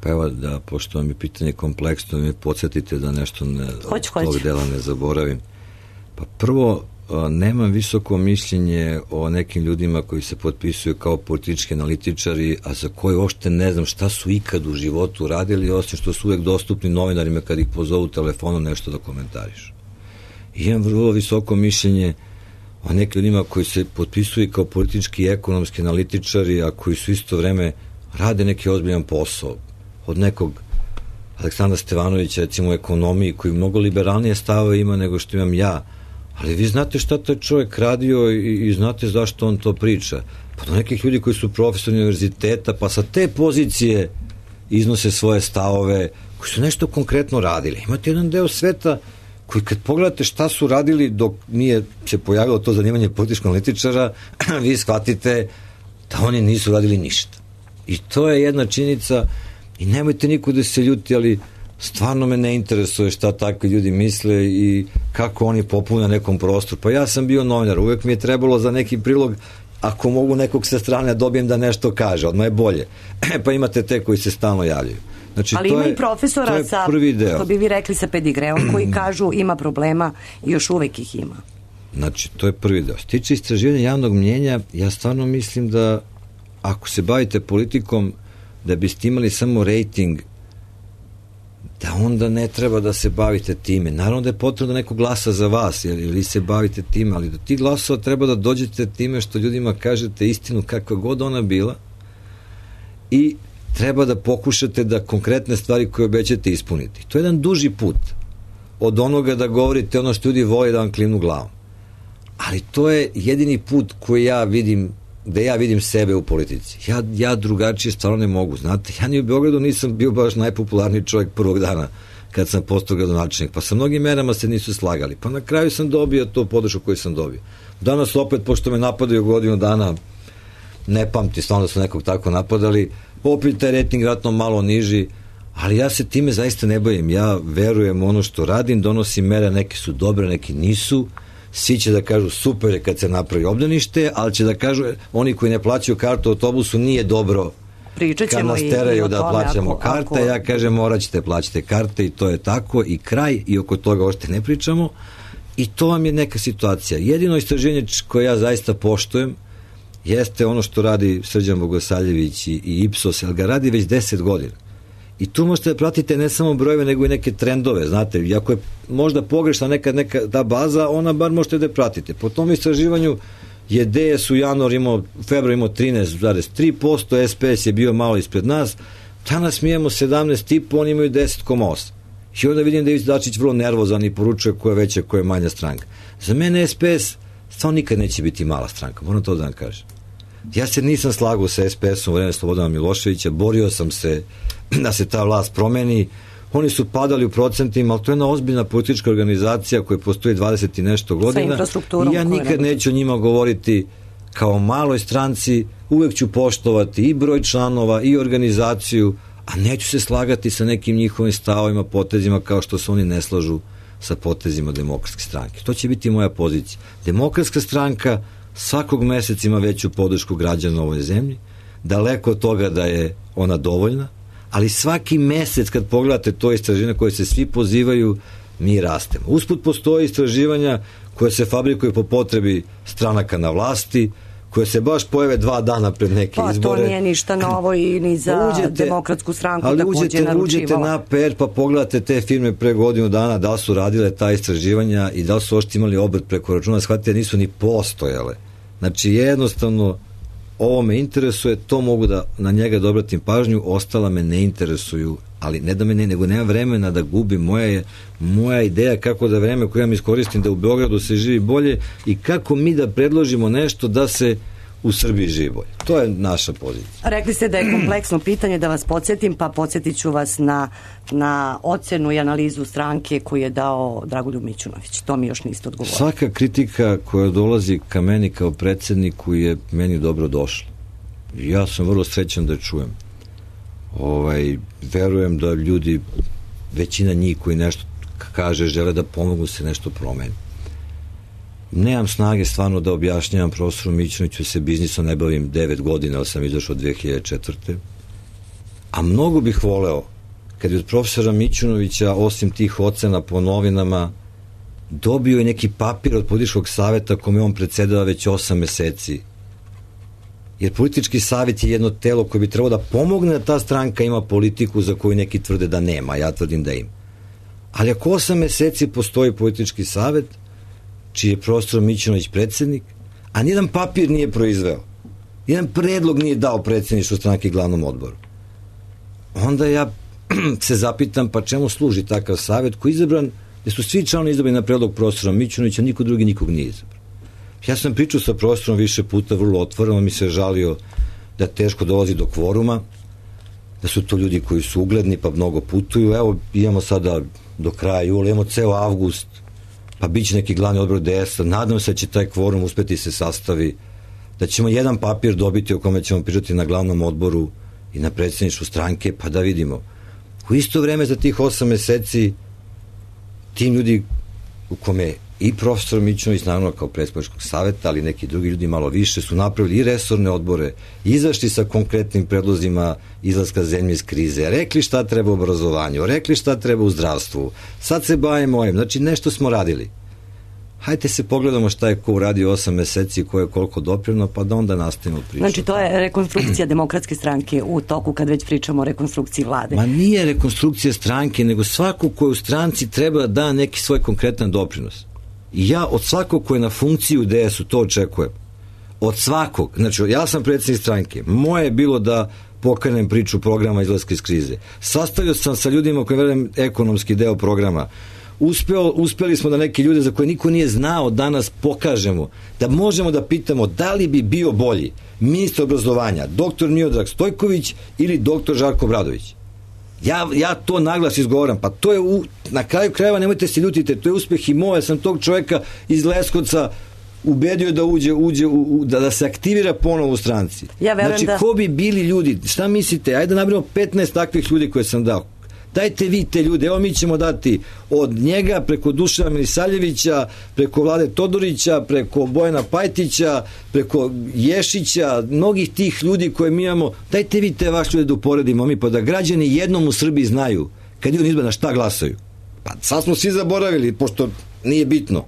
Pa evo da, pošto vam je pitanje kompleksno, me podsjetite da nešto Hoću. ovog dela ne zaboravim. Pa prvo, nemam visoko mišljenje o nekim ljudima koji se potpisuju kao politički analitičari, a za koje uopšte ne znam šta su ikad u životu radili, osim što su uvek dostupni novinarima kad ih pozovu telefonom nešto da komentarišu. I imam vrlo visoko mišljenje o nekim ljudima koji se potpisuju kao politički i ekonomski analitičari, a koji su isto vreme rade neki ozbiljan posao. Od nekog Aleksandra Stevanovića, recimo u ekonomiji, koji mnogo liberalnije stave ima nego što imam ja, ali vi znate šta taj čovjek radio i znate zašto on to priča. Pa do nekih ljudi koji su profesori univerziteta, pa sa te pozicije iznose svoje stavove, koji su nešto konkretno radili. Imate jedan deo sveta koji kad pogledate šta su radili dok nije se pojavilo to zanimanje političkog analitičara, vi shvatite da oni nisu radili ništa. I to je jedna činjenica i nemojte niko da se ljuti, ali stvarno me ne interesuje šta takvi ljudi misle i kako oni popune nekom prostoru. Pa ja sam bio novinar, uvek mi je trebalo za neki prilog, ako mogu nekog sa strane dobijem da nešto kaže, odmah je bolje. Pa imate te koji se stalno javljaju. Znači, ali ima i profesora sa, što bi vi rekli, sa pedigreom, koji kažu ima problema i još uvek ih ima. Znači, to je prvi deo. Što tiče istraživanja javnog mnjenja, ja stvarno mislim da ako se bavite politikom, da biste imali samo rejting, da onda ne treba da se bavite time. Naravno da je potrebno da neko glasa za vas, jer vi se bavite time, ali do tih glasova treba da dođete time što ljudima kažete istinu kakva god ona bila i treba da pokušate da konkretne stvari koje obećate ispuniti. To je jedan duži put od onoga da govorite ono što ljudi vole da vam klimnu glavom. Ali to je jedini put koji ja vidim, gde ja vidim sebe u politici. Ja drugačije stvarno ne mogu. Znate, ja ni u Beogradu nisam bio baš najpopularniji čovjek prvog dana kad sam postao gradonačelnik. Pa sa mnogim merama se nisu slagali. Pa na kraju sam dobio to podršku koju sam dobio. Danas opet, pošto me napadaju godinu dana, ne pamti stvarno da su nekog tako napadali, opet taj rejting vratno malo niži, ali ja se time zaista ne bavim. Ja verujem u ono što radim, donosim mere, neke su dobre, neki nisu. Svi će da kažu super je kad se napravi obdanište, ali će da kažu oni koji ne plaćaju kartu u autobusu nije dobro kad nas teraju da plaćamo karte. Ja kažem morat ćete plaćati karte i to je tako i kraj i oko toga ošte ne pričamo i to vam je neka situacija. Jedino istraživanje koje ja zaista poštujem jeste ono što radi Srđan Bogosavljević i Ipsos, ali ga radi već 10 godina. I tu možete da pratite ne samo brojeve, nego i neke trendove, znate, iako je možda pogrešna neka ta baza, ona bar možete da je pratite. Po tom istraživanju je DS u februar imao 13,3%, SPS je bio malo ispred nas, danas mi imamo 17,5%, oni imaju 10,8%. I onda vidim da je Dačić vrlo nervozan i poručuje ko je veća, ko je manja stranka. Za mene SPS stvarno nikad neće biti mala stranka, moram to da vam kažem. Ja se nisam slagao sa SPS-om u vreme Slobodana Miloševića, borio sam se da se ta vlast promeni, oni su padali u procentima, ali to je jedna ozbiljna politička organizacija koja postoji 20 i nešto godina i ja nikad neću o njima govoriti kao maloj stranci, uvek ću poštovati i broj članova i organizaciju, a neću se slagati sa nekim njihovim stavovima, potezima kao što se oni ne slažu sa potezima Demokratske stranke. To će biti moja pozicija. Demokratska stranka svakog meseca ima veću podršku građana u ovoj zemlji, daleko od toga da je ona dovoljna, ali svaki mesec kad pogledate to istraživanje koje se svi pozivaju, mi rastemo. Usput postoje istraživanja koje se fabrikuju po potrebi stranaka na vlasti, koje se baš pojave 2 dana pred neke izbore. Pa to nije ništa novo i ni za Demokratsku stranku ali takođe naručivala. Uđete na PR pa pogledate te firme pre godinu dana, da li su radile ta istraživanja i da li su ošte imali obrt preko računa, shvatite, nisu ni postojale. Znači jednostavno ovo me interesuje, to mogu da na njega da obratim pažnju, ostala me ne interesuju, ali ne da me ne, nego nema vremena da gubim. Moja ideja kako da vreme koje ja iskoristim da u Beogradu se živi bolje i kako mi da predložimo nešto da se u Srbiji živi bolje. To je naša pozicija. Rekli ste da je kompleksno pitanje, da vas podsjetim, pa podsjetit ću vas na ocenu i analizu stranke koju je dao Dragoljub Mićunović. To mi još niste odgovorili. Svaka kritika koja dolazi ka meni kao predsedniku je meni dobro došla. Ja sam vrlo srećan da je čujem. Verujem da ljudi, većina njih koji nešto kaže, žele da pomogu se nešto promeni. Nemam snage stvarno da objašnjavam profesoru Mićunoviću, se biznisom ne bavim 9 godina, ali sam izašao 2004. A mnogo bih voleo kad je od profesora Mićunovića, osim tih ocena po novinama, dobio je neki papir od političkog saveta kome on predsedava već 8 meseci. Jer politički savjet je jedno telo koje bi trebalo da pomogne da ta stranka ima politiku za koju neki tvrde da nema, ja tvrdim da ima. Ali ako 8 meseci postoji politički savet, čiji je profesor Mićunović predsednik, a nijedan papir nije proizveo, jedan predlog nije dao predsedništvu stranke i glavnom odboru, onda ja se zapitam pa čemu služi takav savet koji je izabran, gde su svi članovi izabrani na predlog profesora Mićunovića, niko drugi nikog nije izabran. Ja sam pričao sa profesorom više puta, vrlo otvoreno, mi se žalio da teško dolazi do kvoruma, da su to ljudi koji su ugledni pa mnogo putuju. Evo, imamo sada do kraja jula, imamo ceo avgust, pa bit će neki glavni odbor DS-a, nadam se da će taj kvorum uspeti se sastavi, da ćemo jedan papir dobiti o kome ćemo pričati na glavnom odboru i na predsedništvu stranke, pa da vidimo. U isto vreme za tih 8 meseci tim ljudi u kome i profesor Mićunović, naravno kao predsedničkog saveta, ali neki drugi ljudi malo više, su napravili i resorne odbore, izašli sa konkretnim predlozima izlaska zemlje iz krize, rekli šta treba u obrazovanju, rekli šta treba u zdravstvu, sad se bavimo ovim, znači nešto smo radili. Hajde se pogledamo šta je ko uradio 8 meseci, ko je koliko doprino, pa da onda nastavimo priču. Znači to je rekonstrukcija Demokratske stranke u toku kad već pričamo o rekonstrukciji vlade. Ma nije rekonstrukcija stranke, nego svako ko je u stranci treba da da neki svoj konkretan doprinos. I ja od svakog ko je na funkciji u DS-u to očekujem. Od svakog. Znači, ja sam predsjednik stranke. Moje je bilo da pokrenem priču programa izlaska iz krize. Sastavio sam sa ljudima koji verujem ekonomski deo programa. Uspeli smo da neke ljude za koje niko nije znao danas pokažemo, da možemo da pitamo da li bi bio bolji ministar obrazovanja, doktor Miodrag Stojković ili doktor Žarko Obradović. Ja to naglas izgovaram, pa to je na kraju krajeva, nemojte se ljutite, to je uspeh i moje, sam tog čoveka iz Leskovca ubedio da da se aktivira ponovo u stranci. Znači, ko bi bili ljudi, šta mislite, ajde da nabrimo 15 takvih ljudi koje sam dao. Dajte vi te ljude, evo mi ćemo dati od njega preko Dušana Milisavljevića, preko Vlade Todorića, preko Bojana Pajtića, preko Ješića, mnogih tih ljudi koje mi imamo, dajte vi te vaš ljude da uporedimo mi, pa da građani jednom u Srbiji znaju kad idu na izbore na šta glasaju. Pa sad smo svi zaboravili, pošto nije bitno.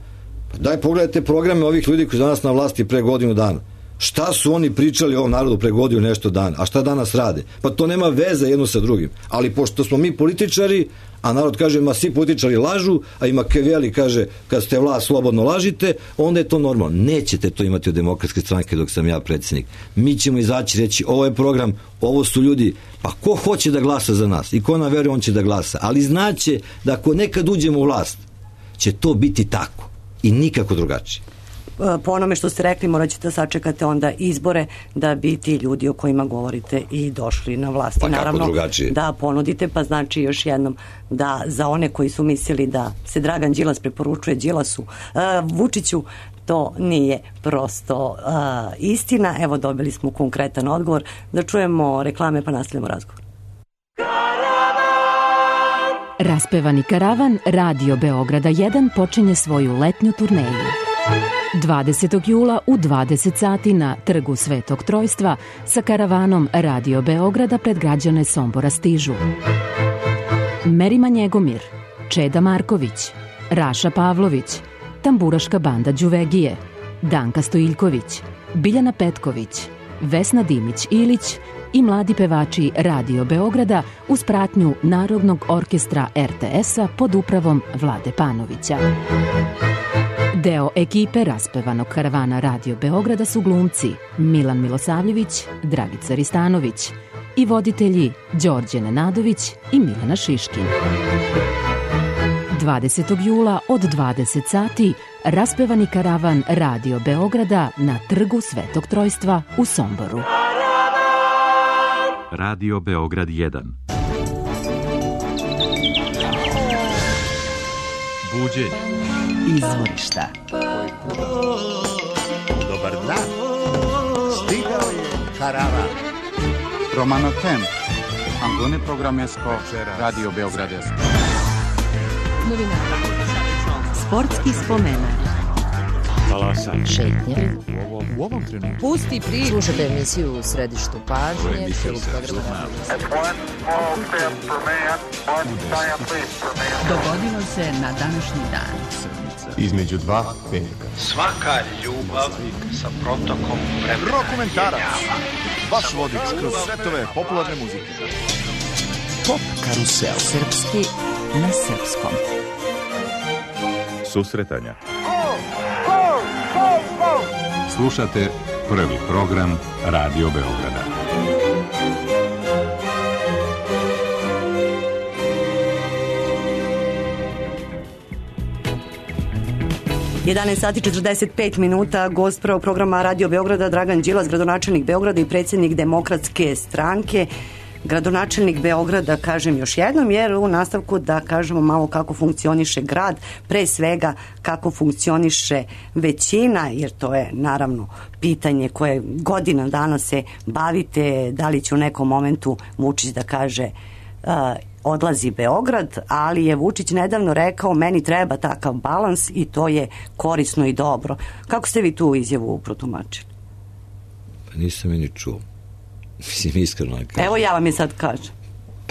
Pa daj pogledajte programe ovih ljudi koji su danas na vlasti pre godinu dana. Šta su oni pričali ovom narodu pre godinu nešto dana, a šta danas rade? Pa to nema veze jedno sa drugim. Ali pošto smo mi političari, a narod kaže, ma svi političari lažu, a i Makaveli kaže, kad ste vlast slobodno lažite, onda je to normalno. Nećete to imati od Demokratske stranke dok sam ja predsjednik. Mi ćemo izaći reći, ovo je program, ovo su ljudi, pa ko hoće da glasa za nas i ko nam veruje, on će da glasa. Ali znaće da ako nekad uđemo u vlast, će to biti tako i nikako drugačije. Po onome što ste rekli, morat ćete sačekati onda izbore da bi ti ljudi o kojima govorite i došli na vlast. Pa naravno, kako drugačije? Da ponudite, pa znači još jednom da za one koji su mislili da se Dragan Đilas preporučuje Vučiću, to nije prosto istina. Evo, dobili smo konkretan odgovor. Da čujemo reklame pa nastavljamo razgovor. Raspevani karavan Radio Beograda 1 počinje svoju letnju turneju. 20. jula u 20 sati na Trgu Svetog Trojstva sa karavanom Radio Beograda pred građane Sombora stižu Merima Njegomir, Čeda Marković, Raša Pavlović, Tamburaška banda Đuvegije, Danka Stojiljković, Biljana Petković, Vesna Dimić-Ilić i mladi pevači Radio Beograda uz pratnju Narodnog orkestra RTS-a pod upravom Vlade Panovića. Deo ekipe raspevanog karavana Radio Beograda su glumci Milan Milosavljević, Dragica Ristanović i voditelji Đorđe Nenadović i Milena Šiškin. 20. jula od 20 sati raspevani karavan Radio Beograda na Trgu Svetog Trojstva u Somboru. Radio Beograd 1. Buđenje. Izvorišta. Dobar dan. Stigao je karavan. Romano Temp. Angone Programesko. Radio Beogradesko. Novinara. Sportski spomenak. Talasaj. Šetnje. U ovom trenutku. Pusti priču. Slušate emisiju U središtu pažnje. Dogodilo se na današnji dan. Između dva velika. Svaka ljubav sa protokom vremena. Dokumentarac. Vaš vodič kroz svetove popularne muzike. Pop karusel. Srpski na srpskom. Susretanja. Slušate prvi program Radio Beograda. Sati 45 minuta, gost prvog programa Radio Beograda Dragan Đilas, gradonačelnik Beograda i predsjednik Demokratske stranke. Gradonačelnik Beograda, kažem još jednom, jer u nastavku da kažemo malo kako funkcioniše grad, pre svega kako funkcioniše većina, jer to je naravno pitanje koje godina dana se bavite, da li će u nekom momentu Vučić da kaže odlazi Beograd, ali je Vučić nedavno rekao meni treba takav balans i to je korisno i dobro. Kako ste vi tu izjavu protumačili? Pa nisam je ni čuo. Mislim, iskreno. Evo ja vam je sad kažem.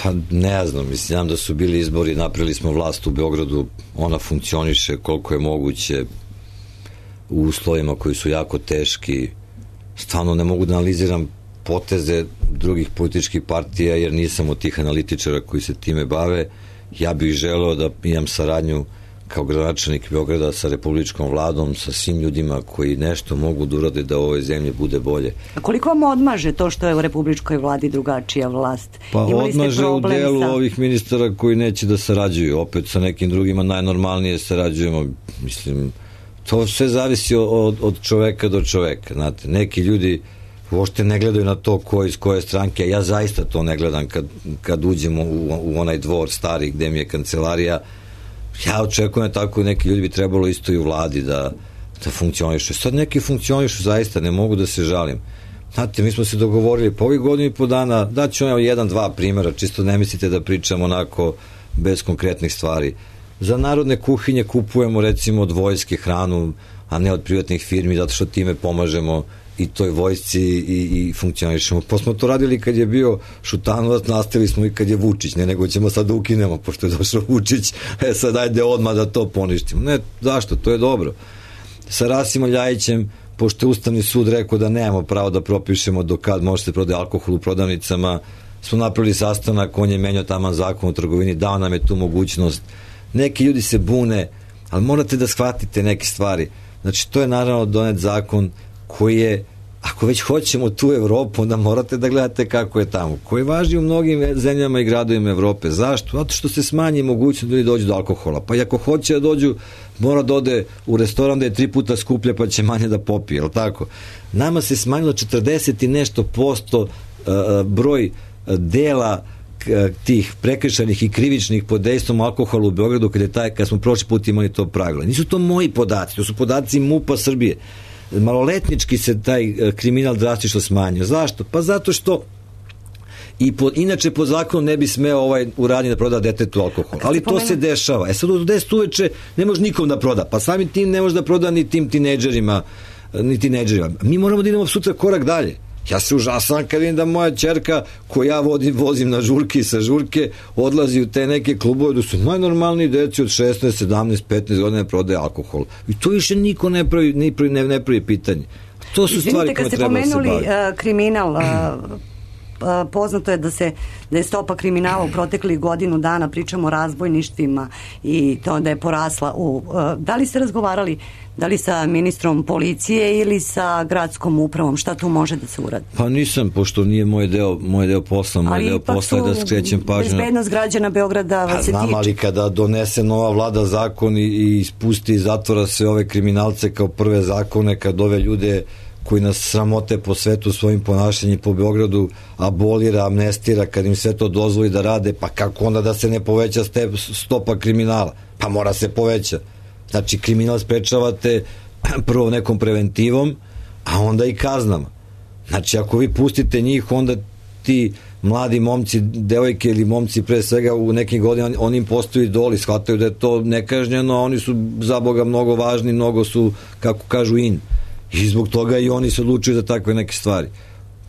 Pa ne znam, mislim da su bili izbori, napravili smo vlast u Beogradu, ona funkcioniše koliko je moguće u uslovima koji su jako teški. Stvarno ne mogu da analiziram poteze drugih političkih partija jer nisam od tih analitičara koji se time bave. Ja bih želeo da imam saradnju kao gradonačelnik Beograda sa republičkom vladom, sa svim ljudima koji nešto mogu da urade da u ovoj zemlji bude bolje. A koliko vam odmaže to što je u republičkoj vladi drugačija vlast? Pa odmaže u delu ovih ministara koji neće da sarađuju. Opet sa nekim drugima najnormalnije sarađujemo. Mislim, to sve zavisi od čoveka do čoveka. Znate, neki ljudi uopšte ne gledaju na to ko iz koje stranke. Ja zaista to ne gledam kad uđemo u onaj dvor stari gde mi je kancelarija. Ja očekujem tako i neki ljudi bi trebalo isto i u vladi da funkcionišu. Sad neki funkcionišu zaista, ne mogu da se žalim. Znate, mi smo se dogovorili po ovih godinu i po dana, daću vam 1-2 primjera, čisto ne mislite da pričam onako bez konkretnih stvari. Za narodne kuhinje kupujemo recimo od vojske hranu, a ne od privatnih firmi, zato što time pomažemo i toj vojsci i funkcionišemo. Pa smo to radili kad je bio Šutanovac, nastavili smo i kad je Vučić, ne nego ćemo sad ukinemo, pošto je došao Vučić, sad ajde odmah da to poništimo. Ne, zašto? To je dobro. Sa Rasimom Ljajićem, pošto je Ustavni sud rekao da nemamo pravo da propišemo do kad može se prodaje alkohol u prodavnicama, smo napravili sastanak, on je menjao taman zakon o trgovini, dao nam je tu mogućnost. Neki ljudi se bune, ali morate da shvatite neke stvari. Znači, to je naravno donet zakon koji je, ako već hoćemo tu Evropu, onda morate da gledate kako je tamo, koji važi u mnogim zemljama i gradovima Evrope. Zašto? Zato što se smanji mogućnost da ljudi dođu do alkohola. Pa i ako hoće da dođu, mora da ode u restoran da je 3 puta skuplje, pa će manje da popije, jel tako? Nama se smanjilo 40 i nešto posto broj dela tih prekršajnih i krivičnih pod dejstvom alkohola u Beogradu kad smo prošli put imali to pravilo. Nisu to moji podaci, to su podaci MUP-a Srbije. Maloletnički se taj kriminal drastično smanjio. Zašto? Pa zato što inače po zakonu ne bi smeo u radnji da proda detetu alkohol. Ali to se dešava. Sad od 10 uveče ne može nikom da proda. Pa samim tim ne može da proda ni tim tinejdžerima. Mi moramo da idemo sutra korak dalje. Ja se užasam kad vidim da moja ćerka koju ja vozim na žurke i sa žurke odlazi u te neke klubove da su najnormalniji deci od 16, 17, 15 godina prodaje alkohol. I to više niko ne pravi pitanje. To su stvari koje treba da se baviti. Kad ste pomenuli kriminal, poznato je da je stopa kriminala u proteklih godinu dana, pričamo o razbojništvima i to da je porasla. Da li ste razgovarali da li sa ministrom policije ili sa gradskom upravom, šta tu može da se uradi? Pa nisam, pošto nije moj deo posla, moj deo posla je da skrećem pažnju. Bezbednost građana Beograda vas se tiče. Znam, ali kada donese nova vlada zakon i ispusti i zatvora sve ove kriminalce kao prve zakone, kad ove ljude koji nas sramote po svetu svojim ponašanjem po Beogradu abolira, amnestira, kad im sve to dozvoli da rade, pa kako onda da se ne poveća stopa kriminala? Pa mora se poveća. Znači, kriminal sprečavate prvo nekom preventivom, a onda i kaznama. Znači, ako vi pustite njih, onda ti mladi momci, devojke ili momci pre svega u nekim godinama, oni im postaju idoli, shvataju da je to nekažnjeno, oni su za Boga mnogo važni, mnogo su, kako kažu, in. I zbog toga i oni se odlučuju za takve neke stvari.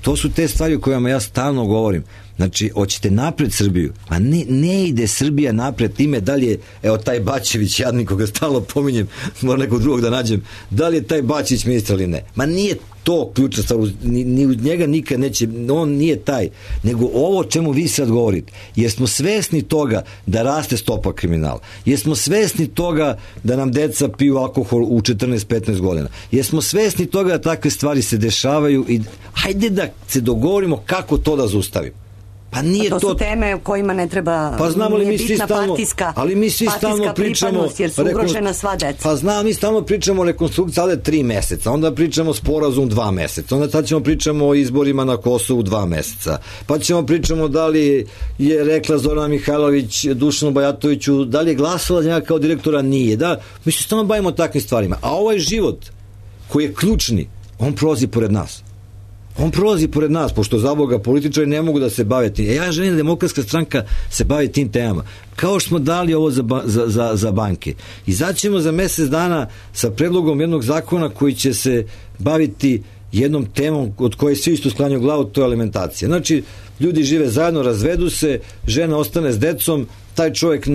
To su te stvari o kojima ja stalno govorim. Znači, hoćete napred Srbiju? Ma ne ide Srbija napred time da li je, evo taj Bačević, jadnik koga stalno pominjem, moram nekog drugog da nađem, da li je taj Bačević ministar ili ne. Ma nije to ključna stvar, ni uz njega nikad neće, on nije taj, nego ovo o čemu vi sad govorite, jer smo svesni toga da raste stopa kriminala, jer smo svesni toga da nam deca piju alkohol u 14-15 godina, jer smo svesni toga da takve stvari se dešavaju i hajde da se dogovorimo kako to da zaustavimo. Pa nije to su teme o kojima ne treba, pa znamo li nije mi bitna stalno, partijska, ali mi svi stalno pričamo, jer su ugrožena sva deca. Pa znam, mi stalno pričamo o rekonstrukciji, ali 3 meseca, onda pričamo sporazum 2 meseca, onda sad ćemo pričamo o izborima na Kosovu 2 meseca, pa ćemo pričamo da li je rekla Zorana Mihajlović Dušanu Bajatoviću, da li je glasala za njega kao direktora, nije, da, mi se stalno bavimo takvim stvarima, a ovaj život koji je ključni, on prolazi pored nas. On prolazi pored nas, pošto za Boga političari ne mogu da se bave tim. Ja želim da Demokratska stranka se bavi tim temama. Kao što smo dali ovo za banke. Izaćemo za mesec dana sa predlogom jednog zakona koji će se baviti jednom temom od koje svi isto sklanjaju glavu, to je alimentacija. Znači, ljudi žive zajedno, razvedu se, žena ostane s decom, taj čovjek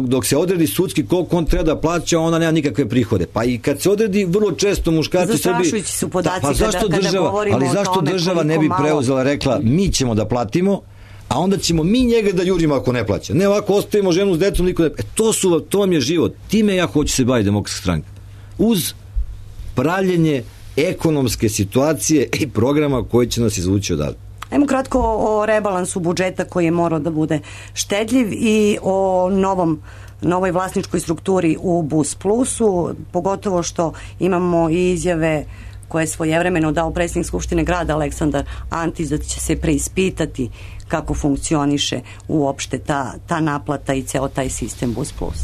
dok se odredi sudski koliko on treba da plaća, ona nema nikakve prihode. Pa i kad se odredi, vrlo često muškarci zastrašujući su podaci pa zašto kada govorimo o tome, zašto država ne bi preuzela, rekla mi ćemo da platimo, a onda ćemo mi njega da jurimo ako ne plaća. Ne, ovako ostavimo ženu s decom, niko ne... To vam je život. Time ja hoću se baviti Demokratska stranka. Uz pravljenje ekonomske situacije i programa koji će nas izvući odavde. Ajmo kratko o rebalansu budžeta koji je morao da bude štedljiv i o novoj vlasničkoj strukturi u Bus Plusu, pogotovo što imamo i izjave koje je svojevremeno dao predsjednik Skupštine grada Aleksandar Antić da će se preispitati kako funkcioniše uopšte ta naplata i ceo taj sistem Bus Plus.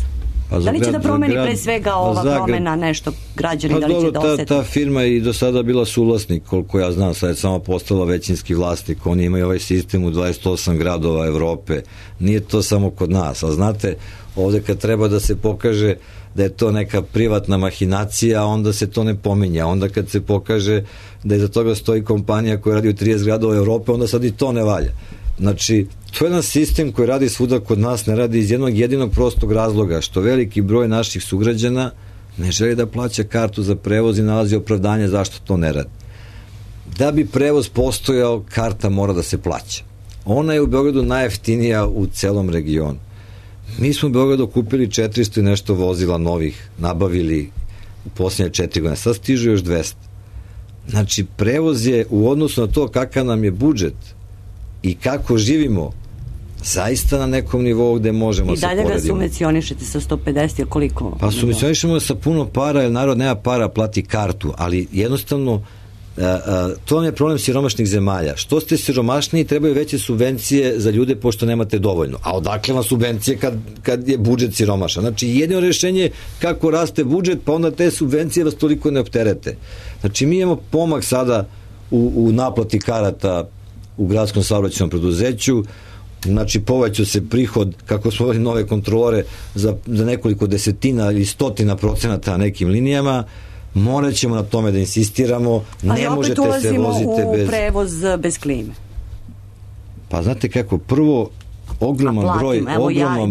Da li će da promeni pre svega ova promena nešto građani, da li će da osjeti? Ta firma je i do sada bila suvlasnik, koliko ja znam, sad je samo postala većinski vlasnik, oni imaju ovaj sistem u 28 gradova Evrope, nije to samo kod nas, a znate, ovde kad treba da se pokaže da je to neka privatna mahinacija, onda se to ne pominja, onda kad se pokaže da iza toga stoji kompanija koja radi u 30 gradova Evrope, onda sad i to ne valja. Znači, to je jedan sistem koji radi svuda kod nas, ne radi iz jednog jedinog prostog razloga, što veliki broj naših sugrađana ne želi da plaća kartu za prevoz i nalazi opravdanje zašto to ne radi. Da bi prevoz postojao, karta mora da se plaća. Ona je u Beogradu najjeftinija u celom regionu. Mi smo u Beogradu kupili 400 i nešto vozila novih, nabavili u posljednje 4 godine. Sad stižu još 200. Znači, prevoz je u odnosu na to kakav nam je budžet i kako živimo, zaista na nekom nivou gde možemo se poredimo. I dalje ga subvencionišete sa 150 ili koliko? Pa subvencionišemo sa puno para, jer narod nema para, plati kartu, ali jednostavno to vam je problem siromašnih zemalja. Što ste siromašniji, trebaju veće subvencije za ljude pošto nemate dovoljno. A odakle vam subvencije kad je budžet siromašan? Znači, jedino rešenje je kako raste budžet, pa onda te subvencije vas toliko ne opterete. Znači, mi imamo pomak sada u naplati karata u gradskom saobraćajnom preduzeću, znači povećao se prihod, kako smo imali nove kontrolore, za nekoliko desetina ili stotina procenata na nekim linijama. Morat ćemo na tome da insistiramo, ne možete se vozite bez... Ali opet ulazimo u prevoz bez klime. Pa znate kako, prvo ogroman broj...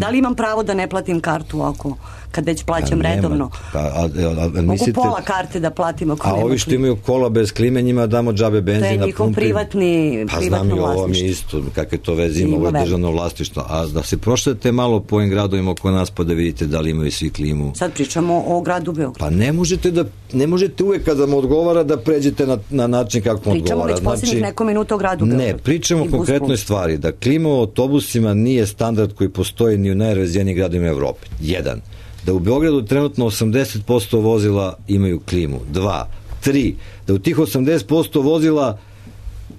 Da li imam pravo da ne platim kartu kad već plaćam redovno? Mogu pola karte da platim ako nema. A ovi što imaju kola bez klime, njima damo džabe benzina. To je njihov privatno vlasništvo. Pa znam i ovo mi isto, kakve to veze ima, ovo je državno vlasništvo. A da se prošljate malo po ovim gradovima oko nas pa da vidite da li imaju svi klimu. Sad pričamo o gradu Beogradu. Pa ne možete uvek kada vam odgovara da pređete na način kako vam odgovara. Pričamo već posljednjih neko minuta o gradu Beogradu. Ne, pričamo o konkretnoj stvari, da klima u autobusima nije standard koji postoji ni u najrazvijenijim gradovima Evrope. 1. Da u Beogradu trenutno 80% vozila imaju klimu. 2. 3. Da u tih 80% vozila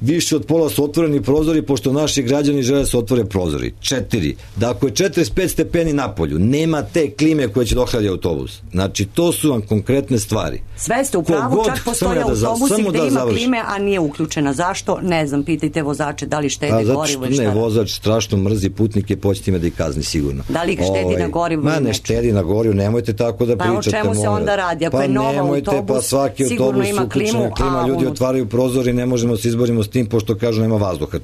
više od pola su otvoreni prozori, pošto naši građani žele da se otvore prozori. 4. Da ako je 45 stepeni napolju, nema te klime koja će dohladi autobus. Znači, to su vam konkretne stvari. Sve ste u pravu, čak postoje autobusi gde ima klime, a nije uključena. Zašto? Ne znam, pitajte vozače da li štede gorivo i šta. Ne, vozač strašno mrzi putnike, poćete me da ih kazni sigurno. Da li ih štedi na gorivo? Ma ne štedi na gorivo, nemojte tako da pričate. Pa o čemu se onda radi? Ako je nova autobus, sigurno ima klimu, a ljudi otvaraju prozor i ne možemo se izborimo s tim, pošto kažu nema vazduha.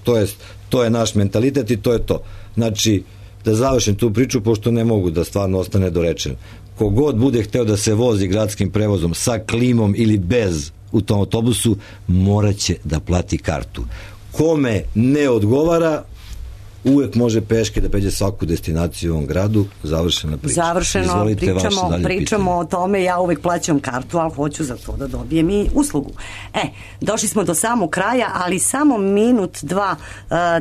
To je naš mentalitet i to je to. Znači, da završim tu priču, pošto ne mogu da stvarno ostane dorečen. Kogod bude hteo da se vozi gradskim prevozom sa klimom ili bez u tom autobusu, moraće da plati kartu. Kome ne odgovara, uvek može peške da pređe svaku destinaciju u ovom gradu. Završena priča. Završeno, pričamo o tome, ja uvek plaćam kartu, ali hoću za to da dobijem i uslugu. Došli smo do samog kraja, ali samo minut, dva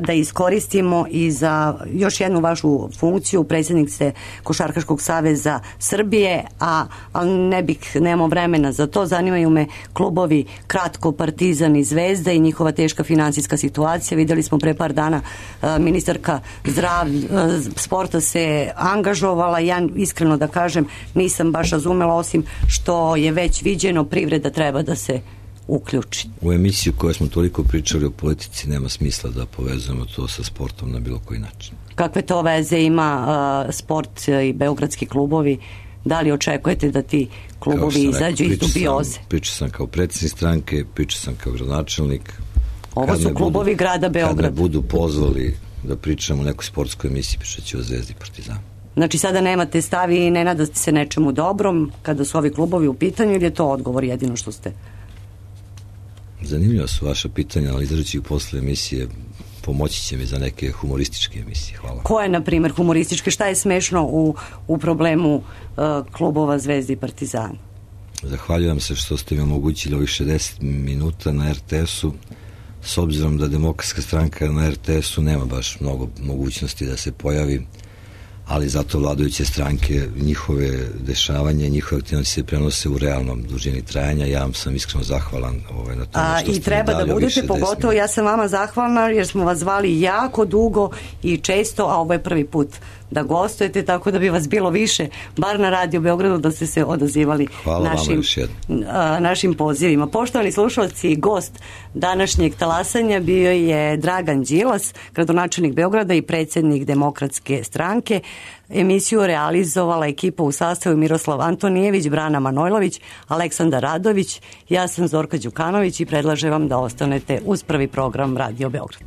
da iskoristimo i za još jednu vašu funkciju. Predsjednik ste Košarkaškog saveza Srbije, ali nemamo vremena za to. Zanimaju me klubovi kratko, Partizan i Zvezda i njihova teška finansijska situacija. Videli smo pre par dana ministarka sporta se angažovala. Ja iskreno da kažem nisam baš razumela, osim što je već viđeno, privreda treba da se uključi. U emisiju koju smo toliko pričali o politici nema smisla da povezujemo to sa sportom na bilo koji način. Kakve to veze ima sport i beogradski klubovi? Da li očekujete da ti klubovi izađu iz dubioze? Pričao sam kao predsjednik stranke, pričao sam kao gradonačelnik. Ovo su klubovi grada Beograda. Kad me budu pozvali da pričamo o nekoj sportskoj emisiji, pričat ću o Zvezdi i Partizanu. Znači sada nemate stavi i ne nadate se nečemu dobrom kada su ovi klubovi u pitanju, ili je to odgovor jedino što ste? Zanimljiva su vaša pitanja, ali izdržat posle emisije, pomoći će mi za neke humorističke emisije. Hvala. Koje, na primjer, humorističke? Šta je smešno u problemu klubova Zvezdi i Partizana? Zahvaljujem se što ste mi omogućili ovih 60 minuta na RTS-u. S obzirom da Demokratska stranka na RTS-u nema baš mnogo mogućnosti da se pojavi, ali zato vladajuće stranke, njihove dešavanja, njihove aktivnosti se prenose u realnom dužini trajanja. Ja vam sam iskreno zahvalan na tome što ste i treba da budete, pogotovo ja sam vama zahvalna jer smo vas zvali jako dugo i često, a ovo je prvi put da gostujete, tako da bi vas bilo više, bar na Radio Beogradu, da ste se odazivali našim pozivima. Poštovani slušalci, gost današnjeg talasanja bio je Dragan Đilas, gradonačelnik Beograda i predsjednik Demokratske stranke. Emisiju realizovala ekipa u sastavu Miroslav Antonijević, Brana Manojlović, Aleksandar Radović, ja sam Zorka Đukanović i predlažem vam da ostanete uz prvi program Radio Beograd.